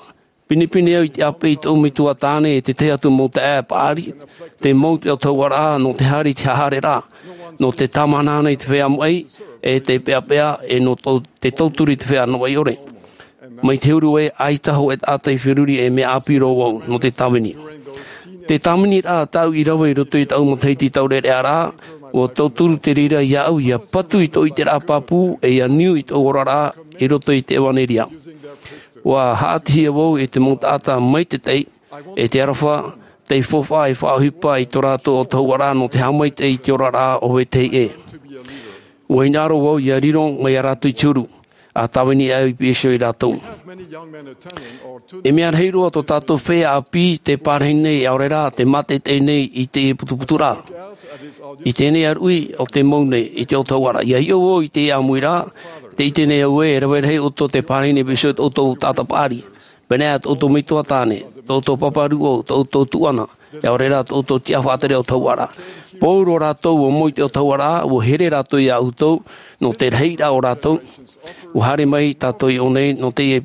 pinepine au i te ʻāpeʻe i tōʻu metua tāne e te tahi atu mau taeaʻe paʻari, tē mau te autahuʻaraʻa nō te haere i te haʻahaereraʻa, nō te tāmāhanahanahana i te feiā maʻi, e te peʻapeʻa, e nō tō-, te tauturu i te feiā noaʻi ʻore. Mai te huru ē, ʻaita hōʻē taʻata i feruri, e mea ʻāpī roa vau nō te tāvini. Te tāviniraʻa tāʻu i rave i roto i tāʻu matahiti taureʻareʻaraʻa, ʻua tauturu te reira iāʻu ʻia patu i tōʻu ʻiteraʻa pāpū, e ʻia niu i tōʻu oraraʻa i roto i te ʻevanelia. ʻUa haʻatihia vau e te mau taʻata maitaʻi, e te aroha tei faufaʻa e faʻaʻohipa i tō rātou autahuʻaraʻa nō te haʻamaitaʻi i te oraraʻa o vetahi ʻē. ʻUa hinaʻaro vau ʻia riro mai ia rātou i te huru, ʻa tāvini au i piʻi iho ia rātou. E mea rahi roa tō tātou feiā ʻāpī tē pārahi nei, ʻaore rā, tē mātaʻitaʻi nei i teie putuputuraʻa. I teie nei ʻāruʻi ʻo tē mau nei i te autahuʻaraʻa. ʻIa hiʻo vau i teie ʻāmuiraʻa, tē ʻite nei au ē, e rave rahi ʻoutou tē pārahi nei i piʻi iho ia tō ʻoutou taʻata paʻari. Pēneiaʻe tō ʻoutou metua tāne, tō ʻoutou pāpā rūʻau, tō ʻoutou tuʻana, ʻaore rā tō ʻoutou tiʻa faʻatere autahuʻaraʻa. Pauroa rātou ʻua mau i te autahuʻaraʻa, ʻua here rātou ia ʻoutou, nō te rahiraʻa o rātou. ʻUa haere mai tātou i ʻō nei, nō teie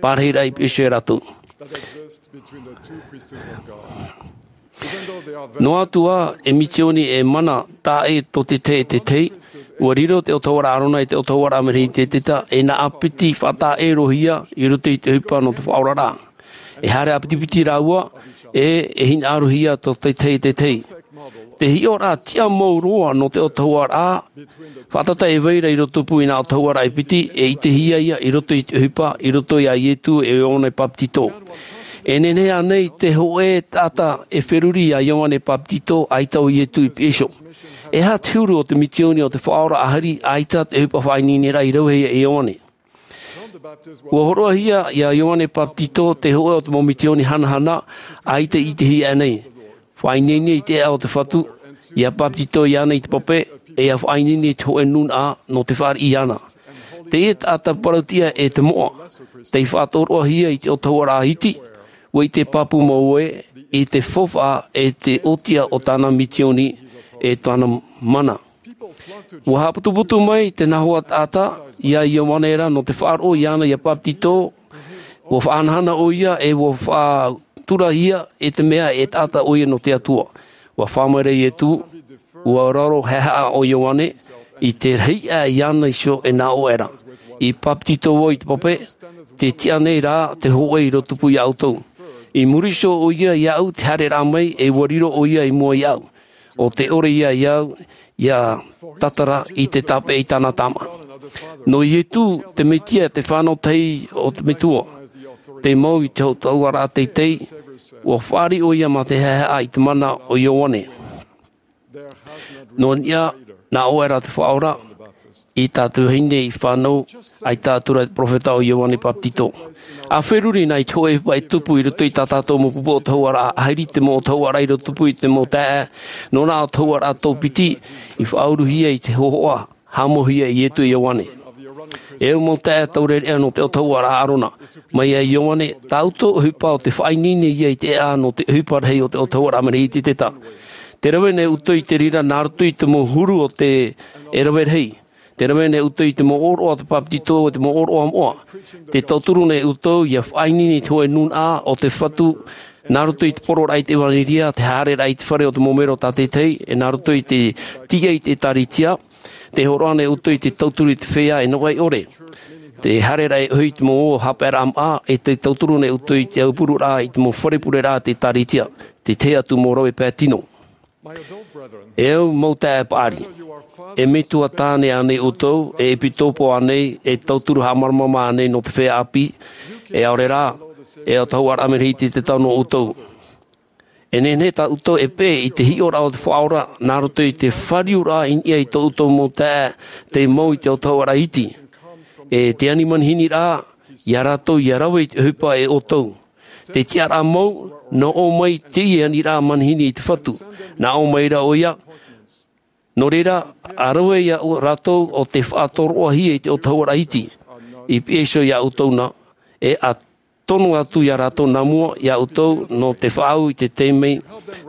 pārahiraʻa i piʻi iho ia rātou. Noa atu ā e misioni e mana taʻa ʻē tō te tahi e te tahi, ʻua riro te autahuʻaraʻa ʻĀrona e te autahuʻaraʻa Melehiseteta, e nā ʻāpiti faʻataʻa ʻē roa hia i roto i te ʻohipa nō te faʻaoraraʻa. E haere ʻāpitipiti rāua, ʻe, e hinaʻaro hia tō te tahi e te tahi. Te hiʻoraʻa tiʻa mau roa nō te autahuʻaraʻa, faʻataʻa e vai ra i rotopū i nā autahuʻaraʻa e piti, e ʻitehia ia i roto i te ʻohipa, i roto ia Iesu ʻe Ioane Bapetizo. E nehenehe ānei te hōʻē taʻata e feruri ia Ioane Bapetizo, ʻaita ʻo Iesu i piʻi iho? E aha te huru o te misioni o te Faʻaora ʻAhiri, ʻaita te ʻohipa faʻaineineraʻa i rave hia e Ioane? ʻUa hōroʻahia ia Ioane Bapetizo, te hōʻē o te mau misioni hanahana, ʻaita i ʻitehia aʻe nei. Faʻaineine i te ʻēʻa o te Fatu, ʻia bapetizo iāna i te pape, ʻe ʻia faʻaineine i te hōʻē nūnaʻa nō te fāriʻi iāna. Teie taʻata parauʻtiʻa ʻe te moʻa, tei faʻatōroʻahia i te autahuʻaraʻa iti, ʻua ʻite pāpū mau ē, i te faufaʻa ʻe te ʻōtiʻa o tāna misioni, e tōna mana. Ua haʻaputuputu mai te nahoa taʻata iā Ioane ra nō te faʻaroʻo iāna ʻia papetito. Ua faʻahanahana ʻoia e ua faʻaturahia e te mea e taʻata ʻoia nō te Atua. Ua fā mai ra Ietu, ua raro haʻehaʻa ʻo Ioane i te rahi aʻe iāna iho e nā ʻō aʻe ra, i papetito vau i te pape, tē tiʻa nei rā te hōʻē i rotopū iā ʻoutou. I muri iho ʻoia iāʻu te haereraʻa mai e ua riro ʻoia i mua iāʻu. ʻO te ʻore ia iāʻu ʻia tātara i te tāpeʻa i tāna Tamā. Nō Ietu te Metia, te fānau tahi o te Metua, te mau i te hōtauaraʻa teitei, ua fāriʻi ʻoia mā te haʻehaʻa i te mana o Ioane. Nō niʻa, nā ʻō aʻe ra te Faʻaora i tā te vahine i fānau, ʻaita atu ra te perofeta ʻo Ioane Papetito. ʻA feruri na i te hōʻē ʻohipa e tupu i roto i tā tātou mau pupu ʻōtahuraʻa, ʻahiri te mau ʻōtahuraʻa i rotopū i te mau taeaʻe, nō nā ʻōtahuraʻa tōpiti i faʻauruhia i te hōhoʻa, haʻamauhia e Ietu e Ioane. E au mau taeaʻe taureʻareʻa nō te ʻōtahuraʻa Arona, mai iā Ioane, tā ʻoutou ʻohipa ʻo tē faʻaineine ia i te ʻēʻa nō te ʻohipa rahi o te ʻōtahuraʻa Merehiteteta. Tē rave nei ʻoutou i te reira nā roto i te mau huru o te, e rave rahi. Tē rave nei ʻoutou i te mau ʻōroʻa o te papetito, te mau ʻōroʻa moʻa. Tē tauturu nei ʻoutou ʻia faʻaineine i te hōʻē nūnaʻa o te Fatu, nā roto i te poroʻraʻa i te ʻevanelia, te haereraʻa i te fare o te mau mero tātaʻitahi, e nā roto i te tiʻa i te ʻĒtārētia. Tē hōroʻa nei ʻoutou i te tauturu i te feiā e nō ʻaore. Te haereraʻa e ʻohi i te mau haʻapaeraʻa māʻa, e tē tauturu nei ʻoutou i te aupururaʻa i te mau fare pureraʻa a te ʻĒtārētia. Te tahi atu mau rave pae tino. E au mau taeaʻe paʻari, e metua tāne ānei ʻoutou, e ʻepitopo ānei, e tauturu haʻamāramarama ānei nō te feiā ʻāpī, e ʻaore rā, e ʻōtahuraʻa Merehiteteta nō ʻoutou. E nehenehe tā ʻoutou e peʻe i te hiʻoraʻa o te Faʻaora nā roto i te fāriuraʻa i niʻa i tō ʻoutou mau taeaʻe tei mau i te ʻōtahuraʻa iti. E te ani manihini rā, iā rātou ʻia rave i te ʻohipa e ʻoutou. Te tiʻaraʻa mau, nō ʻō mai teie aniraʻa manihini i te Fatu. Nā ʻō mai ra ʻoia, nō reira, ʻa rave iā rātou ʻo tē faʻatoroʻahia i te ʻōtahuraʻa iti. I pihaʻi iho iā ʻoutou na, e ʻa tono atu iā rātou nā mua iā ʻoutou nō te faʻaau i te taime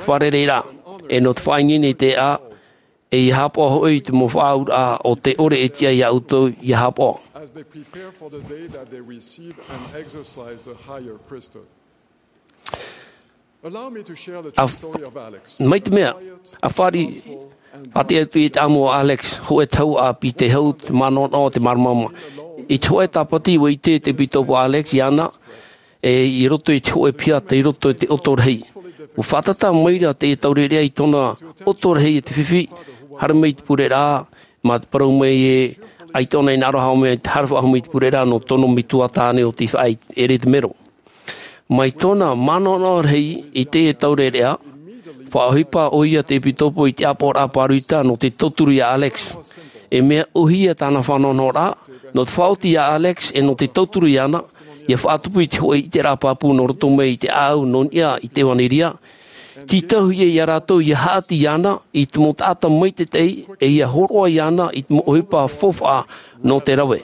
fārereiraʻa, e nō te faʻaineine i te ʻēʻa, e ʻia haʻapaʻo hoʻi i te mau faʻaauraʻa o tē ʻore e tiʻa iā ʻoutou ʻia haʻapaʻo. As they prepare for the day that they receive and exercise the higher priesthood. Allow me to share the A true story of Alex. Mai te mea, ʻa fāriʻi, ʻa te atu i te ʻāmui o Alex, hōʻē tau ʻāpī tei hau te manaʻonaʻo, te māramarama. I te hōʻē tāpati ʻua ʻite te ʻepitopo Alex iāna, e i roto i te hōʻē piha tei roto i te ʻoto rahi. ʻUa faʻatata mai ra te taureʻareʻa i tōna ʻoto rahi e te fifi, haere mai i te pureraʻa, mā te parau mai ē, ʻaita ʻōna i hinaʻaro e haere faʻahou mai i te pureraʻa nō tōna metua tāne ʻo tei faʻaʻere i te mero. Mai tōna manaʻonaʻo rahi i teie taureʻareʻa, faʻaʻohipa ʻoia te ʻepitopo i te ʻāpoʻoraʻa pāroita nō te tauturu iā Alex. E mea ʻōhie tāna faʻanahonahoraʻa, nō te faʻaoti iā Alex e nō te tauturu iāna, ʻia faʻatupu i te hōʻē ʻiteraʻa pāpū nō roto mai i te ʻāʻau nō niʻa i te ʻevanelia. Tītauhia iā rātou ʻia haʻati iāna i te mau taʻata maitaʻi e ʻia hōroʻa iāna i te mau ʻohipa faufaʻa nō te rave.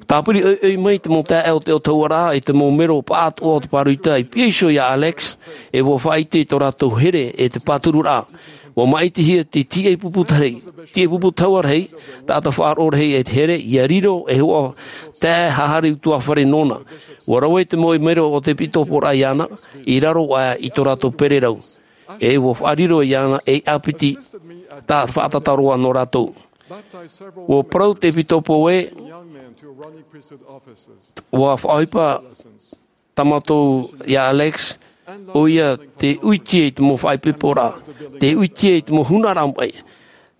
Tāpiri ʻoiʻoi mai te mau taeaʻe o te ʻōtahuraʻa e te mau mero pāʻātoʻa o te pāroita i pihaʻi iho iā Alex, e ʻua faʻaʻite i tō rātou here e te pātururaʻa. ʻUa māʻitihia te tīʻai pupu rahi, tīʻai pupu taua rahi, taʻata faʻaroʻo rahi e te here, ʻia riro e hōʻē taeaʻe haʻahari ʻutuāfare nōna. ʻUa rave te mau mero o te ʻepitoporaʻa iāna, i raro aʻe i tō rātou pererau. E ʻua faʻariro iāna ei ʻāpiti tā faʻatata roa nō rātou. ʻUa parau te ʻepitopo ē, ʻua faʻaʻohipa tā mātou iā Alex, ʻoia te ʻuitia i te mau faʻaipoiporaʻa, te ʻuitia i te mau hūnaraʻa maʻi.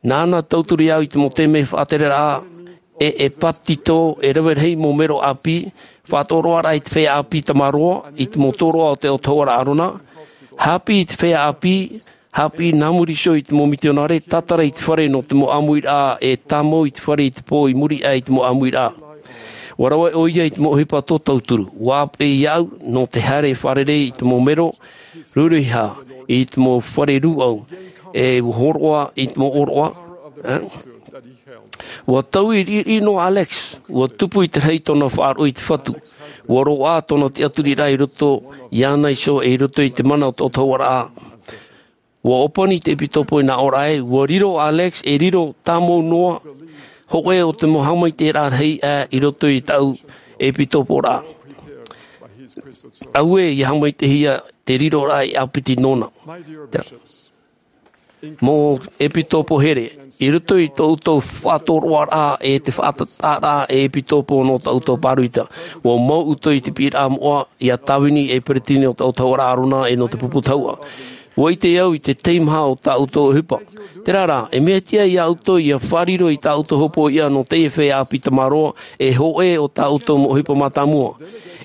Nāna tauturu iāʻu i te mau taime faʻatereraʻa, e, e papetito, e rave rahi mau mero ʻāpī, faʻatoroʻaraʻa i te feiā ʻāpī tamaroa, i te mau tōroʻa o te ʻōtahuraʻa Arona, haʻapiʻi i te feiā ʻāpī, haʻapiʻi nā muri iho i te mau mitionare, tātara i te fare nō te mau ʻāmuiraʻa, e tāmau i te fare i te pō i muri aʻe i te mau ʻāmuiraʻa. ʻUa rave ʻoia i te mau ʻohipa tō tauturu, ʻua ʻāpeʻe iāʻu nō te haere fārerei i te mau mero, rūruiha i te mau fare rūʻau, e ʻua hōroʻa i te mau ʻōroʻa, eh? ʻUa taui riʻiriʻi noa Alex, ʻua tupu i te rahi tōna faʻaroʻo i te Fatu, ʻua roaʻa tōna tiʻaturiraʻa i roto iāna iho e i roto i te mana o te ʻōtahuraʻa. Ua ʻōpani te ʻepitopo i nā ʻōraʻa ē, ua riro Alex, e riro tāmau noa, hōʻē o te mau haʻamaitaʻiraʻa rahi aʻe i roto i tāʻu ʻepitoporaʻa. Auē, ʻia haʻamaitaʻihia te riroraʻa i ʻāpiti nōna. Mau ʻepitopo here, i roto i tō ʻoutou faʻatoroʻaraʻa e te faʻatataraʻa e ʻepitopo nō tā ʻoutou pāroita, ua mau ʻoutou i te piʻiraʻa moʻa ia Tāvini e peresideni o te autahuʻaraʻa ʻĀrona e nō te pupu tahuʻa. Ua ʻite au i te teimaha o tā ʻoutou ʻohipa. Terā rā, e mea tiʻa ia ʻoutou ia fārerei i tā ʻoutou hopoiʻa nō teie feiā ʻāpī tamaroa, e hōʻē o tā ʻoutou mau ʻohipa mātāmua.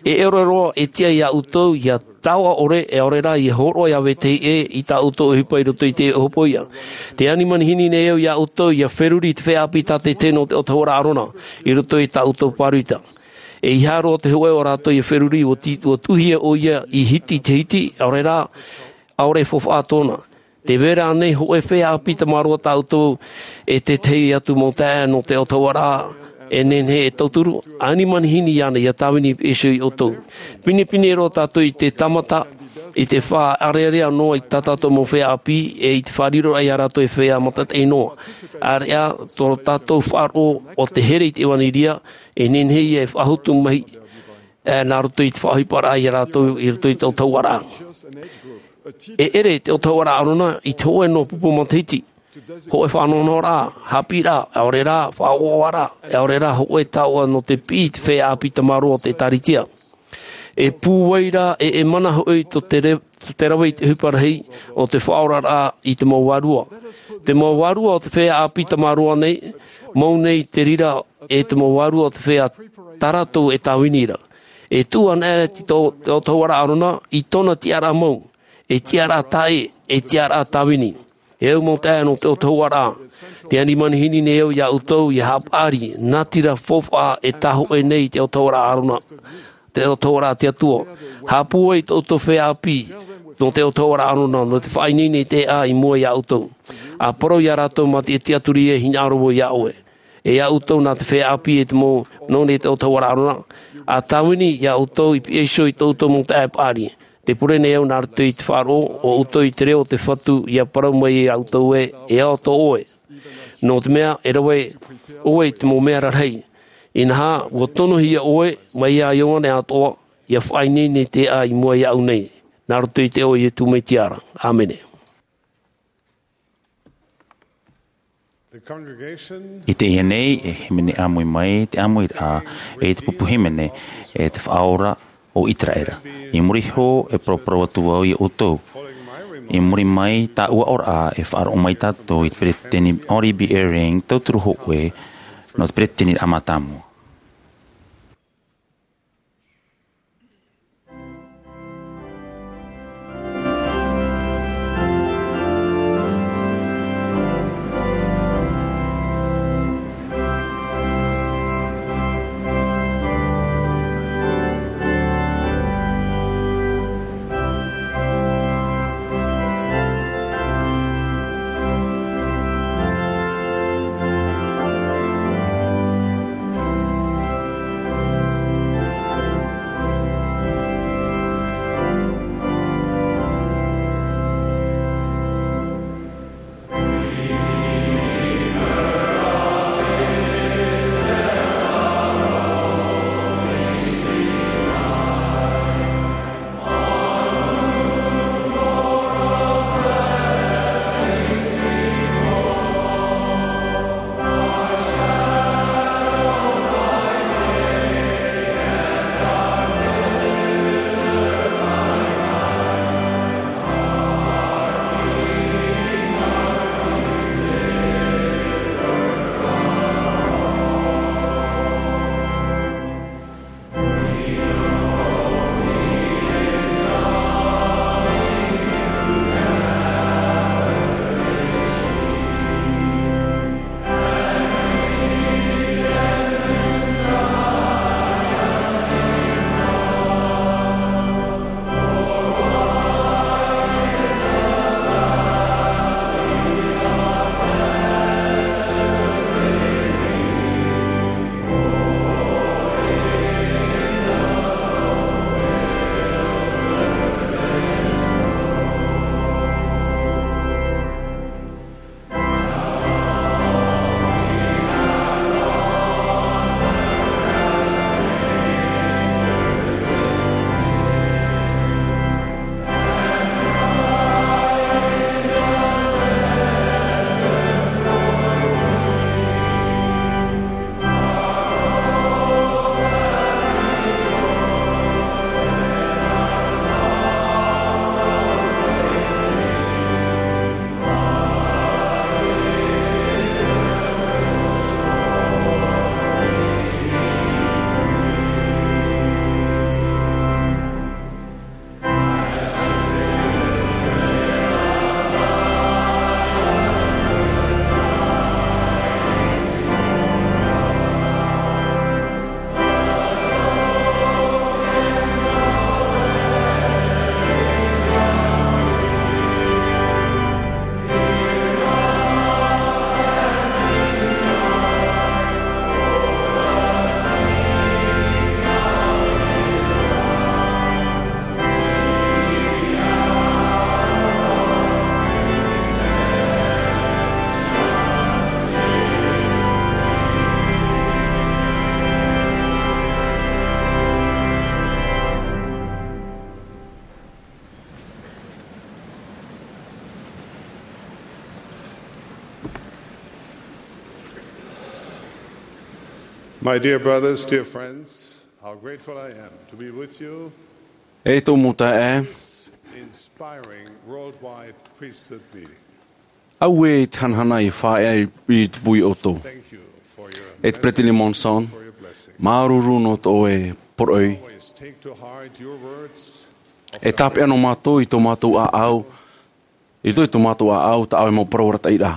E ʻere roa e tiʻa ia ʻoutou ia taoʻa ʻore, ʻaore rā ia hōroʻa ia vetahi ʻē i tā ʻoutou ʻohipa i roto i te hopoiʻa. Tē ani manihini nei au ia ʻoutou ia feruri i te feiā ʻāpī tātaʻitahi nō te autahuʻaraʻa ʻĀrona i roto i tā ʻoutou pāroita. E ʻeiaha roa te hōʻē o rātou ia feruri, ua ti-, ua tuʻuhia ʻoia i hiti i te hiti, ʻaore rā, ʻaore e faufaʻa tōna. Tē vai ra ānei hōʻē feiā ʻāpī tamaroa tā ʻoutou e te tahi atu mau taeaʻe nō te autahuʻaraʻa e nehenehe e tauturu? Ani manihini iāna ia Tāvini i pihaʻi iho ia ʻoutou. Pinepine roa tātou i te tāmata, i te faʻaʻareʻarea noa i tā tātou mau feiā ʻāpī, e i te fāriroraʻa ia rātou e feiā maitaʻi noa. ʻAreʻa tō tātou faʻaroʻo o te here i te ʻevanelia, e nehenehe ia e faʻahotu mai, e, nā roto i te faʻaʻohiparaʻa ia rātou i roto i te autahuʻaraʻa. E ʻere te autahuʻaraʻa ʻĀrona i te hōʻē noa pupu matahiti, hōʻē faʻanahonahoraʻa, haʻapiʻiraʻa, ʻaore rā, faʻaʻoaʻoaraʻa, ʻaore rā, hōʻē taoʻa nō te piʻi i te feiā ʻāpī tamaroa o te ʻĒtārētia. E pūai rā, e, e mana hoʻi tō te re-, tō te rave i te ʻohipa rahi o te faʻaoraraʻa i te mau vārua. Te mau vārua o te feiā ʻāpī tamaroa nei, mau nei te reira e te mau vārua o te feiā tā rātou e Tāvini ra. E tuʻu anaʻe te tō-, te autahuʻaraʻa ʻĀrona i tōna tiʻaraʻa mau, e tiʻaraʻa taʻe, e tiʻaraʻa Tāvini. E au mau taeaʻe nō te autahuʻaraʻa, tē ani manihini nei au ia ʻoutou ia haʻapaʻari, nā te reira faufaʻa e tāhōʻē nei i te autahuʻaraʻa ʻĀrona, te autahuʻaraʻa a te Atua. Haʻapūai tō ʻoutou feiā ʻāpī nō te autahuʻaraʻa ʻĀrona, nō te faʻaineine i te ʻēʻa i mua ia ʻoutou. ʻA parau ia rātou mā te tiʻaturi e hinaʻaro vau ia ʻoe. E ia ʻoutou nā te feiā ʻāpī e te mau nō nei te autahuʻaraʻa ʻĀrona, ʻa Tāvini ia ʻoutou i pihaʻi iho i tō ʻoutou mau taeaʻe paʻari. Tē pure nei au nā roto i te faʻaroʻo o ʻoutou i te reo o te Fatu, ia parau mai ia ʻoutou ē, e ao tō ʻoe. Nō te mea, e rave ʻoe i te mau mea rarahi. Inaha, ua tonohia ʻoe, mai ia Ioane atoʻa, ia faʻaineine i te ʻēʻa i mua iāʻu nei. Nā roto i te iʻoa o Iesu Mesia ra. ʻĀmene. I teie nei, e hīmene ʻāmui mai, te ʻāmuiraʻa, e te pupu hīmene, e te Faʻaora o ʻĪteraʻera. I muri iho, e paraparau atu vau ia ʻoutou. I muri mai, tāʻu aʻoraʻa, e faʻaroʻo mai tātou i te peresideni Henry B. Eyring, tauturu hōʻē, nō te peresideni mātāmua. My dear brothers, dear friends, how grateful I am to be with you E tō mau taeaʻe, this inspiring worldwide priesthood meeting. Au e te hanahana i faʻaea i te pui o tō. Thank you for your E te Peresideni Monson, for your blessing. Māuruuru nō tō e poroʻi. Always take to heart your words of E tāpeʻa nō mātou i tō mātou ʻāʻau, i roto i tō mātou ʻāʻau, tā ʻoe mau parau arataʻiraʻa.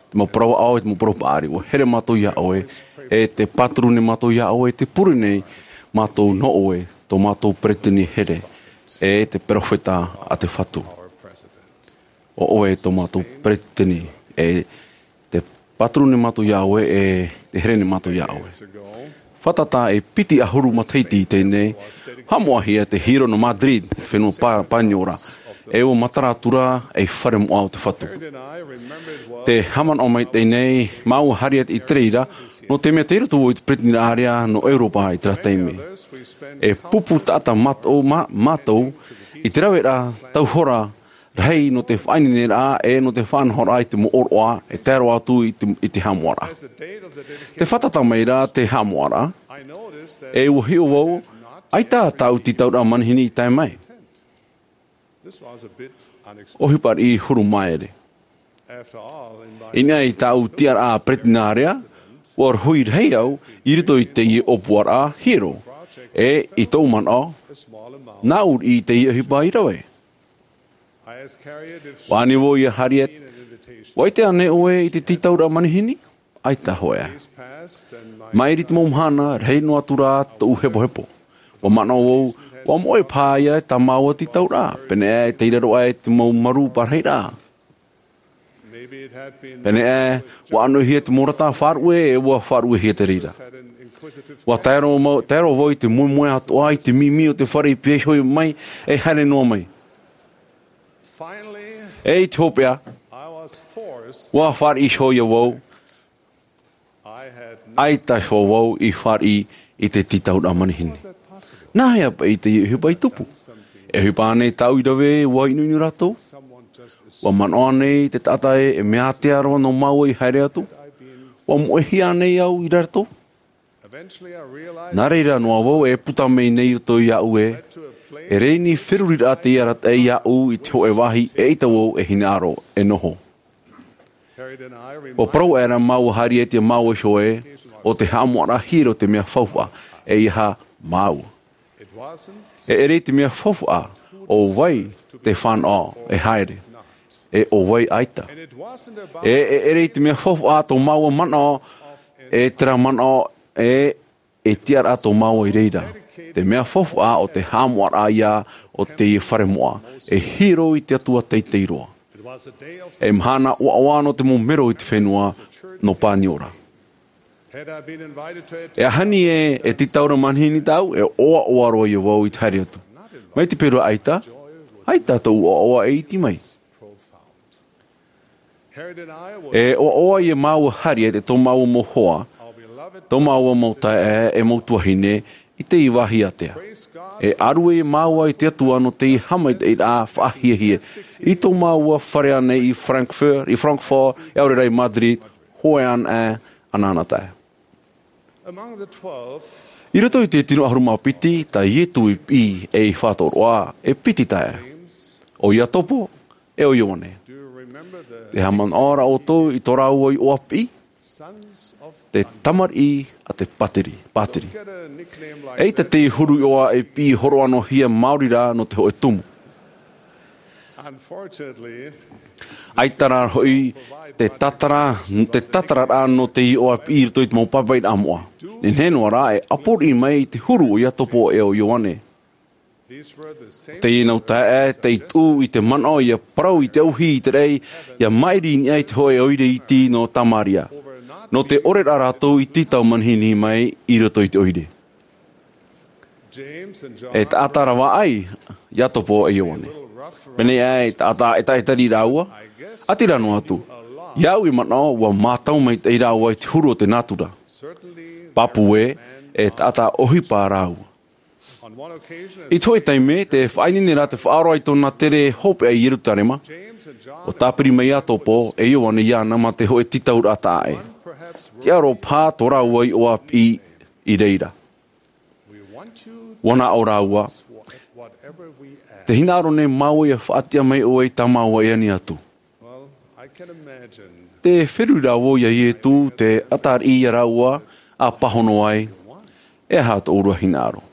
Te mau parau ʻāʻau, te mau parau paʻari, ʻua here mātou iā ʻoe, e te pāturu nei mātou iā ʻoe, te pure nei mātou nō ʻoe, tō mātou peresideni here, e te peropheta a te Fatu. ʻO ʻoe tō mātou peresideni, e te pāturu nei mātou iā ʻoe, e te here nei mātou iā ʻoe. Fātata e piti ʻahuru matahiti i teie nei, haʻamoʻahia te hiero nō Madrid, te fenua Pā-, Paniora, e ʻua matara atu ra ei fare moʻa o te Fatu. Te haʻamanaʻo mai teie nei, māua Harriet i te reira, nō te mea tei roto vau i te peretiteniraʻa nō Europa i terā taime. E pupu taʻata mātou, mā-, mātou, i te rave ra tau hora rahi nō te faʻaineineraʻa e nō te faʻanahoraʻa i te mau ʻōroʻa e tae roa atu i te, i te haʻamoʻaraʻa. Te fātata mai ra te haʻamoʻaraʻa, e ʻua hiʻo vau, ʻaita tāʻu tītauraʻa manihini i tae mai. ʻOhipa riʻi huru māere. I niʻa i tāʻu tiʻaraʻa peretiteniraʻa, ʻua rohi rahi au i roto i teie ʻōpuaraʻa hiero, e i tōʻu manaʻo, nāʻu riʻi teie ʻohipa i rave. ʻUa ani vau iā Harriet, ʻua ʻite ānei ʻoe i te tītauraʻa manihini? ʻAita hoʻi. Mairi te mau mahana, rahi noa atu rā tōʻu hepohepo. ʻUa manaʻo vau, ʻua moʻe paha ïa tā māua tītauraʻa, pēneiaʻe tei raro aʻe te mau marū parahiraʻa. Pēneiaʻe, ʻua ʻanoʻihia te mau rata faʻaruʻe, e ʻua faʻaruʻehia te reira. ʻUa tae roa mau, tae roa vau i te moemoe atoʻa i te mimi o te fare i pihaʻi iho mai, e haere noa mai. E i te hopeʻa, ʻua fāriʻi iho ïa vau, ʻaita iho vau i fāriʻi i te tītauraʻa manihini. Nāhea paʻi teie ʻohipa i tupu? E ʻohipa ānei tāʻu i rave, ʻua ʻinoʻino rātou? ʻUa manaʻo ānei te taʻata ē, e mea ātea roa nō māua i haere atu? ʻUa moʻehia ānei au i rātou? Nā reira noa vau e puta mai nei i roto iāʻu ē, e rēni feruriraʻa tei arataʻi iāʻu i te hōʻē vāhi eʻita vau e hinaʻaro e noho. ʻUa parau aʻera māua Harriet iā māua iho ē, ʻo te haʻamoʻaraʻa hiero te mea faufaʻa, ʻeiaha māua. E ʻere i te mea faufaʻa, ʻo vai te fānaʻo e haere, e ʻo vai ʻaita. E, e ʻere i te mea faufaʻa tō māua manaʻo, e terā manaʻo, e, e tiʻaraʻa tō māua i reira. Te mea faufaʻa ʻo te haʻamoʻaraʻa ïa o teie fare moʻa, e hiero i te Atua teitei roa. E mahana ʻoaʻoa nō te mau mero i te fenua nō Paniora. E aha ni ē, e tītauraʻa manihini tāʻu, e ʻoaʻoa roa ïa vau i te haere atu. Mai te peu ra ʻaita, ʻaita tōʻu ʻoaʻoa e iti mai. E ʻoaʻoa iā māua Harriet e tō māua mau hoa, tō māua mau taeaʻe e mau tuahine, i teie vāhi ātea. E ʻārue iā māua i te Atua nō teie haʻamaitaʻiraʻa faʻahiahia, i tō māua fare ānei i Frankfurt, i Frankfurt, e ʻaore rā i Madrid, hōʻē anaʻe, anaʻanatae. I roto i te tino ʻahuru mā piti, tā Ietu i piʻi e i faʻatoroʻa, e piti taeaʻe. ʻO Iakobo, e ʻo Ioane. Te haʻamanaʻo ra ʻoutou i tō rāua iʻoa piʻi? Te tamariʻi a te pātiri, pātiri. ʻEita te huru iʻoa e piʻi hōroʻa noa hia maori rā nō te hōʻē tumu. ʻAita rā hoʻi te tātara, te tātararaʻa nō te iʻoa piʻi i roto i te mau papaʻiraʻa moʻa. Nehenehe noa rā, e ʻāpōriʻi mai i te huru o Iakobo e ʻo Ioane. Teie nau taeaʻe, tei tuʻu i te manaʻo ʻia parau i te ʻauhī i te raʻi, ʻia maʻiri i niʻa i te hōʻē ʻoire iti nō Tamaria. Nō te ʻore ra rātou i tītau manihini mai i roto i te ʻoire. E taʻata ravaʻai, Iakobo e Ioane. Pēneiaʻe, e taʻata ʻetaʻeta rāua, ʻati rā noa atu. Iāʻu i manaʻo, ʻua mātau maitaʻi rāua i te huru o te nātura. Pāpū ē, e taʻata ʻohipa rāua. I te hōʻē taime, tē faʻaineine ra te faʻaora i tōna tere hopeʻa i Ierutarema, ʻua tāpiri mai Iakobo e Ioane iāna mā te hōʻē tītauraʻa taʻa ʻē. Tiʻa roa paha tō rāua iʻoa piʻi i reira. Ua nā ʻō rāua, te hinaʻaro nei māua ia faʻatiʻa mai ʻoe i tā māua e ani atu. Te feruri rā vau iā Ietu te ʻatariʻi iā rāua a pāhono ai, e aha tō ʻoe hinaʻaro?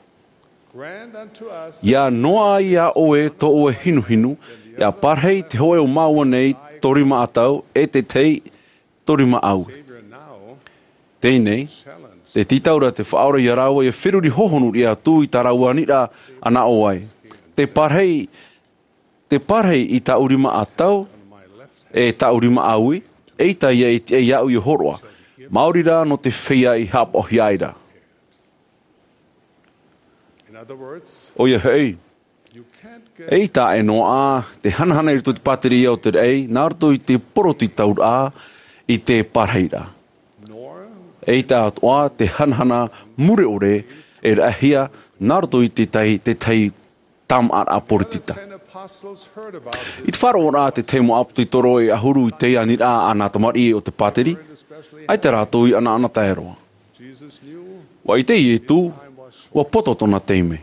Ia noaʻa iā ʻoe tō ʻoe hinuhinu, ia parahi te hōʻē o māua nei tō rima ʻatau e te tahi tō rima ʻāui. Teie nei, te tītau ra te Faʻaora iā rāua ia feruri hohonu riʻi atu i tā rāua aniraʻa a nā ʻō ai. Te parahi, te parahi i tāʻu rima ʻatau, e tāʻu rima ʻāui, eʻita ia e tiʻa iāʻu ia hōroʻa. Maori rā nō te feiā i haʻapaʻohia ai ra. ʻOia hoʻi, eʻita e noaʻa te hanahana i roto i te pātireia o te raʻi, nā roto i te poroʻi tauraʻa i te parahiraʻa. ʻEita atoʻa te hanahana mure ʻore e raʻahia nā roto i te tahi, te tahi tāmāʻaraʻa poritita. I te faʻaroʻoraʻa te tahi mau ʻāpōsetolo e ʻahuru i te aniraʻa a nā tamariʻi o te pātiri, ʻaita rātou i ʻanaʻana tae roa. Ua ʻite Ietu, ua poto tōna taime.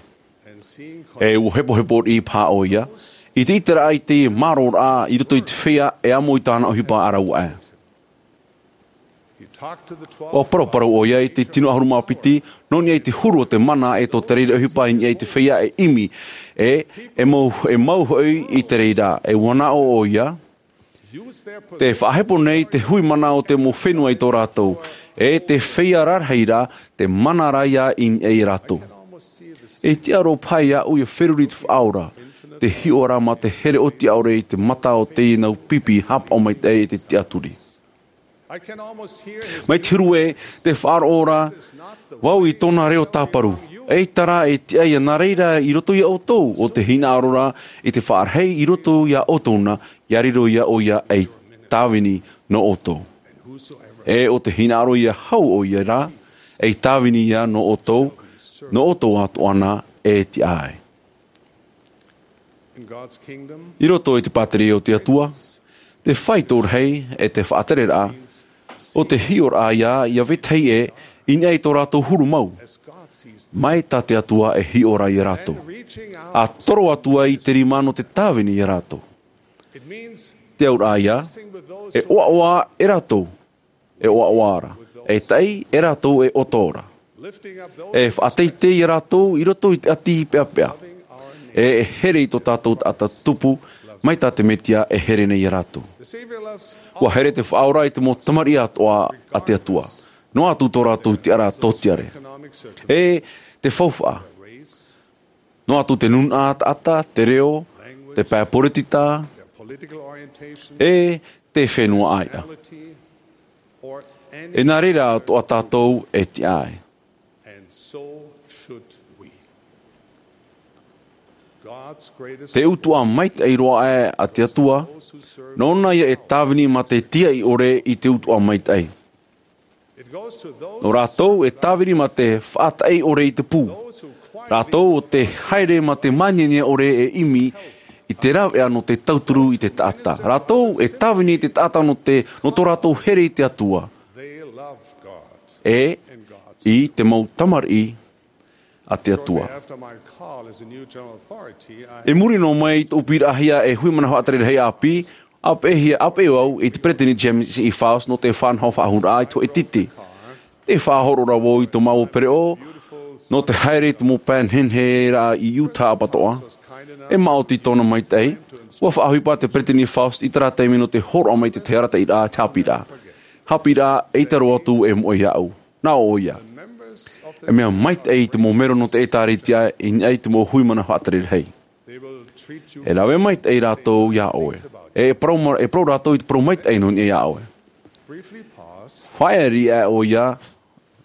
E ua hepohepo riʻi paha ʻoia, i te ʻiteraʻa i te mārōraʻa i roto i te feiā e amo i tāna ʻohipa ʻaraua aʻe. Ua paraparau ʻoia i te tino ʻahuru mā piti, nō niʻa i te huru o te mana e tō te reira ʻohipa i niʻa i te feiā e ʻimi, e, e mau, e mau hoʻi i te reira, e ua nā ʻō ʻoia, te faʻahepo nei te hui mana o te mau fenua i tō rātou, e te feiā rarahi ra, te mana ra ia i niʻa ia rātou. E tiʻa roa paha iāʻu ia feruri te Faʻaora, te hiʻoraʻa mā te here ʻōtiʻa ʻore i te mata o teie nau pipi haʻapaʻo maitaʻi e te tiʻaturi. Mai te huru ē, te faʻaroʻo ra vau i tōna reo tāparu. ʻEita rā e tiʻa ia nā reira i roto ia ʻoutou, ʻo te hinaʻaro ra i te faʻarahi i roto ia ʻoutou na, ia riro ia ʻoia ei tāvini nō ʻoutou. E ʻo te hinaʻaro ia hau ʻoia rā, ei tāvini ia nō ʻoutou, nō ʻoutou atoʻa na e tiʻa ai. I roto i te pātireia o te Atua, te faito rahi e te faʻatereraʻa, ʻo te hiʻoraʻa ia, ia vetahi ē, i niʻa i tō rātou huru mau. Mai tā te Atua e hiʻo ra ia rātou. A toro atu ai i te rima nō te tāvini ia rātou. Te auraʻa ia, e ʻoaʻoa e rātou, e ʻoaʻoa ra, e taʻi e rātou e ʻoto ra. E faʻateitei ia rātou i roto i te ʻati peʻapeʻa. E, e here i tō tātou taʻata tupu, mai tā te Metia e here nei ia rātou. Ua here te Faʻaora i te mau tamariʻi atoʻa a te Atua. Noa atu tō rātou tiʻaraʻa tōtiare. E te faufaʻa. Noa atu te nūnaʻa taʻata, te reo, te pae poritita, e te fenua ʻāiʻa. E nā reira atoʻa tātou e tiʻa ai. Te utuʻa maitaʻi roa aʻe a te Atua, nōna ia e tāvini mā te tiaʻi ʻore i te utuʻa maitaʻi. Nō rātou e tāvini mā te faʻataʻi ʻore i te pū. Rātou ʻo tē haere mā te māniania ʻore e ʻimi i te rāveʻa nō te tauturu i te taʻata. Rātou e tāvini i te taʻata nō te, nō tō rātou here i te Atua. E i te mau tamariʻi a te Atua. I muri noa mai i tōʻu piʻiraʻahia e hui manaʻo faʻatere rahi ʻāpī, ʻāpeʻehia, ʻāpeʻe au i te peretiteni James E. Faust nō te faʻanaho faʻahou raʻa i te hōʻē titi. Tē faʻahoro ra vau i tō māua pereʻoʻo, nō te haere i te mau pae nehenehe raʻa i Utah ʻapatoʻa. E maoti tōna maitaʻi, ua faʻaʻohipa te peretiteni Faust i terā taime nō te hōroʻa mai i te tahi arataʻiraʻa, te haʻapiʻiraʻa. Haʻapiʻiraʻa, ʻeita roa atu e moʻe iāʻu. Nā ʻō ʻoia. E mea maitaʻi i te mau mero nō te ʻĒtārētia i niʻa i te mau hui manaʻo faʻatere rahi. E rave maitaʻi rātou iā ʻoe. E parau ma-, e parau rātou i te parau maitaʻi nō niʻa iā ʻoe. Faʻaea riʻi aʻe ʻoia,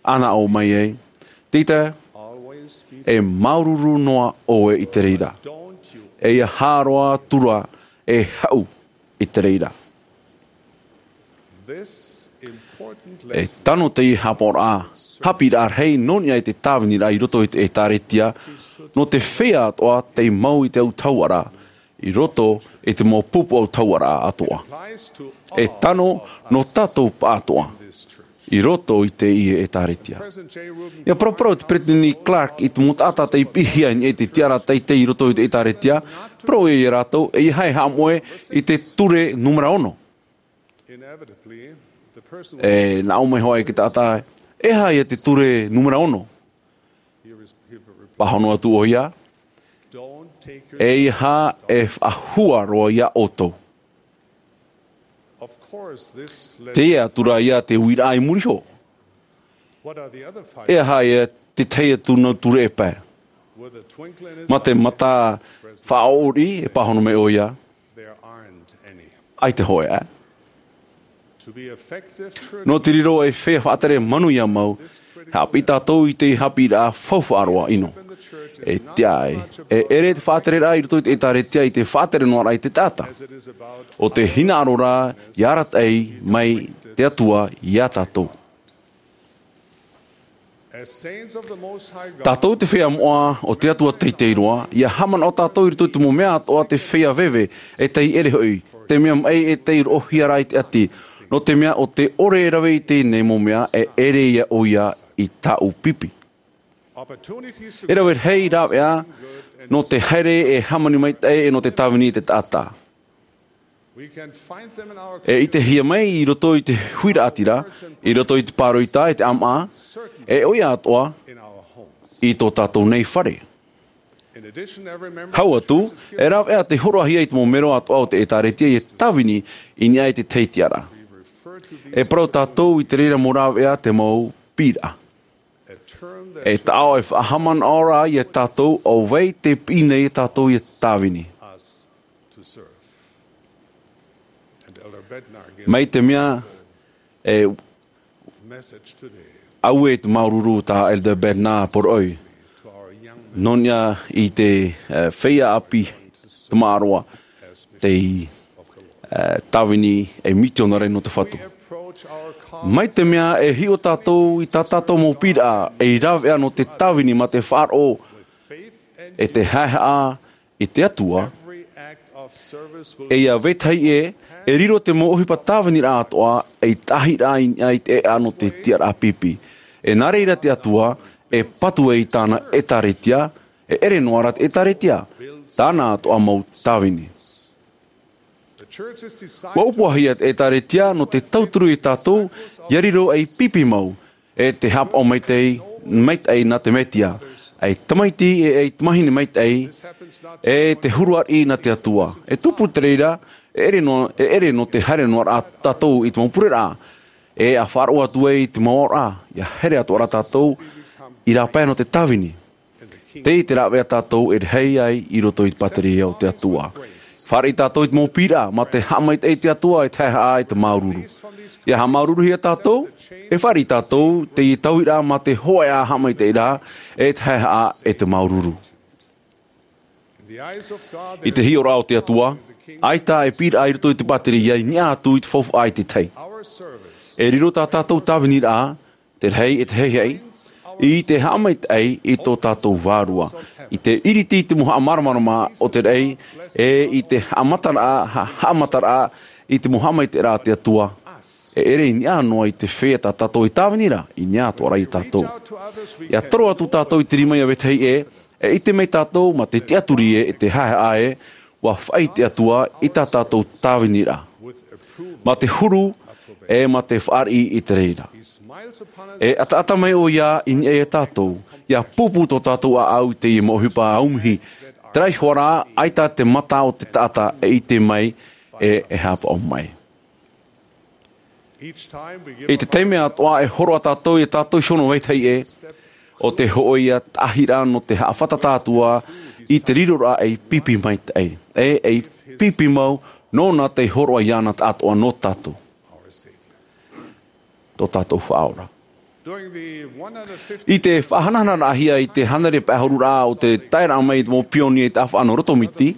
ʻānaʻo mai ai. Tita, e māuruuru noa ʻoe i te reira. E ia hāroa atu ra, e haʻu i te reira. E tano teie haʻapaʻoraʻa, haʻapiʻiraʻa rahi nō niʻa i te tāviniraʻa i roto i te ʻĒtārētia, nō te feiā atoʻa tei mau i te autahuʻaraʻa, i roto i te mau pupu autahuʻaraʻa atoʻa. E tano nō tātou pāʻatoʻa. i roto i teie ʻĒtāretia. ʻIa paraparau te Peresideni Clark i te mau taʻata tei piʻihia i niʻa i te tiʻaraʻa teitei i roto i te ʻĒtāretia, parau ʻoia ia rātou, ʻeiaha e haʻamoʻe i te ture numera ono. E nā ʻō mai hoʻi te taʻata, ʻeiaha ia te ture numera ono. Pāhono atu ʻoia, ʻeiaha e faʻahua roa ia ʻoutou. Teie atu rā ia te uiraʻa i muri iho. ʻEiaha ia te tahi atu nā ture e pae. Mā te mata faʻaʻori e pāhono mai ʻoia, ʻaita hoʻi ā. Nō te riro ei feiā faʻatere manuia mau, haʻapiʻi tātou i te haʻapiʻiraʻa faufaʻa roa ʻino. E tiʻa ai, e ʻere te faʻatereraʻa i roto i te ʻĒtāretia i te faʻatere noa rā i te taʻata. ʻO te hinaʻaro rā i arataʻi mai te Atua iā tātou. Tātou te feiā moʻa o te Atua teitei roa, ʻia haʻamanaʻo tātou i roto i te mau mea atoʻa te feiā veve, e tei ʻere hoʻi, te mea maʻi e tei roʻohia rā i te ʻati, nō te mea ʻo te ʻore e rave i teie nei mau mea e ʻere ia ʻoia i tāʻu pipi. E rave rahi rāveʻa, nō te haere e hāmani maitaʻi e nō te tāvini i te taʻata. E ʻitehia mai i roto i te huiraʻatira, i roto i te pāroita e te ʻāmaʻa, e ʻoia atoʻa i tō tātou nei fare. Hau atu, e rāveʻa te hōroʻahia i te mau mero atoʻa o te ʻĒtāretia e tāvini i niʻa i te tahi tiʻaraʻa. E parau tātou i te reira mau rāveʻa te mau piʻiraʻa. E taʻo e faʻahaʻamanaʻo rā iā tātou ʻo vai tē piʻi nei iā tātou ʻia tāvini. Mai te mea e ʻaue te māuruuru tā Elder Bednar poroʻi. Nō niʻa i te, e, feiā ʻāpī tamaʻa roa tei, e, tāvini ei mitionare nō te Fatu. Mai te mea e hiʻo tātou i tā tātou mau piʻiraʻa ei rāveʻa nō te tāvini mā te faʻaroʻo e te haʻehaʻa i te Atua, e ia vetahi ē, e riro te mau ʻohipa tāviniraʻa atoʻa ei tāhiraʻa i niʻa i te ʻēʻa nō te tiʻaraʻa pipi. E nā reira te Atua e patu ai i tāna ʻĒtāretia, e ʻere noa rā te ʻĒtāretia, tāna atoʻa mau tāvini. ʻUa ʻōpuahia te ʻĒtāretia nō te tauturu iā tātou ʻia riro ei pipi mau, e te haʻapaʻo maitaʻi, maitaʻi nā te Mesia, ei tamaiti e ei tamahine maitaʻi, e te huru ariʻi nā te Atua. E tupu te reira, e ʻere nō, e ʻere nō te haere noa rā tātou i te mau pureraʻa, e ʻa faʻaroʻo atu ai i te mau aoraʻa, ʻia haere atoʻa rā tātou i rāpae nō te tāvini. Tei te rāveʻa tātou e rahi ai i roto i te pātireia o te Atua. Fāriʻi tātou i te mau piʻiraʻa, mā te haʻamaitaʻi i te Atua e te haʻehaʻa e te māuruuru. ʻIa haʻamāuruuruhia tātou, e fāriʻi tātou, teie tauiraʻa mā te hōʻē ā haʻamaitaʻiraʻa, e te haʻehaʻa e te māuruuru. I te hiʻoraʻa o te Atua, ʻaita e piʻiraʻa i roto i te pātireia i niʻa atu i te faufaʻa i te tahi. E riro tā tātou tāviniraʻa, te rahi e te haʻehaʻa, i te haʻamaitaʻi i tō tātou vārua, i te ʻiriti i te mau haʻamāramarama o te raʻi, e i te haʻamataraʻa, ha-, haʻamataraʻa i te mau haʻamaitaʻiraʻa a te Atua. E ʻere i niʻa noa i te feiā tā tātou e tāvini ra, i niʻa atoʻa rā iā tātou. ʻIa toro atu tātou i te rima ia vetahi ē, e ʻite mai tātou mā te tiʻaturi ē, e te haʻehaʻa ē, ʻua faʻaʻī te Atua i tā tātou tāviniraʻa. Mā te huru, e mā te fāriʻi i te reira. E ʻataʻata mai ʻoia i niʻa iā tātou, ʻia pūpū tō tātou ʻāʻau i teie mau ʻohipa aumihi, terā iho ā rā, ʻaita te mata o te taʻata e ʻite mai, e, e haʻapaʻo mai. I te taime atoʻa e hōroʻa tātou iā tātou iho nō vetahi ē, ʻo te hōʻē ā tāhiraʻa nō te haʻafātata atu ā i te riroraʻa ei pipi maitaʻi, e ei pipi mau nōna tei hōroʻa iāna atoʻa nō tātou. Tō tātou Faʻaora. I te faʻahanahanaraʻahia i te hānere pae ʻahururaʻa o te taeraʻa mai i te mau pionie i te ʻāfaʻa nō Rotomiti,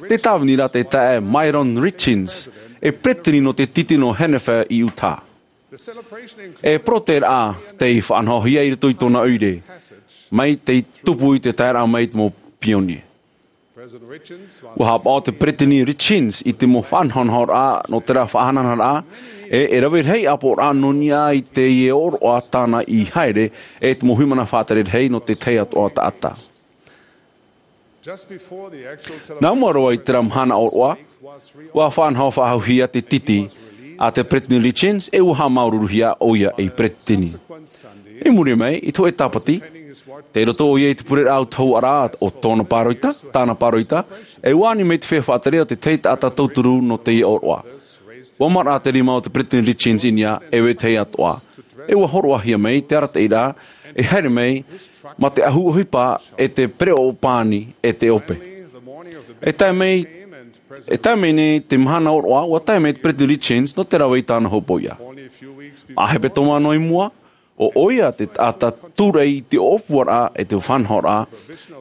tē tāvini ra te taeaʻe Myron Richins, e peretiteni nō te tītī nō Hennifer i Utah. E poroʻi raʻa tei faʻanahohia i roto i tōna ʻoire, mai tei tupu i te taeraʻa mai i te mau pionie. Ua haʻapaʻo te peresideni Richins i te mau faʻanahonahoraʻa nō terā faʻahanahanaʻa, e e rave rahi ʻāpoʻoraʻa nō niʻa i teie ʻōroʻa tāna i haere, e te mau hīmene faʻatere rahi nō te tahi atoʻa taʻata. Nā mua roa i terā mahana ʻōroʻa, ua faʻanaho faʻahouhia te titi a te peresideni Richins, e ua haʻamāuruuruhia ʻoia ei peresideni. I muri mai, i te hōʻē tāpati, tei roto ʻoia i te pureraʻa autahuʻaraʻa o tōna pāroita, tāna pāroita, e ua ani mai te feiā faʻatere o te tahi taʻata tauturu nō teie ʻōroʻa. Ua maraʻa te rima o te peresideni Richins i niʻa, e vetahi atoʻa. E ua hōroʻahia mai te arataʻiraʻa, e haere mai, mā te ʻahu ʻohipa, e te pereʻoʻo pani, e te ʻope. E tae mai, e tae mai nei te mahana ʻōroʻa, ua tae mai te peresideni Richins nō te rave i tāna hopoiʻa. Māʻa hepetoma noa i mua, ʻo ʻoia te taʻata tūraʻi i te ʻōpuaraʻa e te faʻanahoraʻa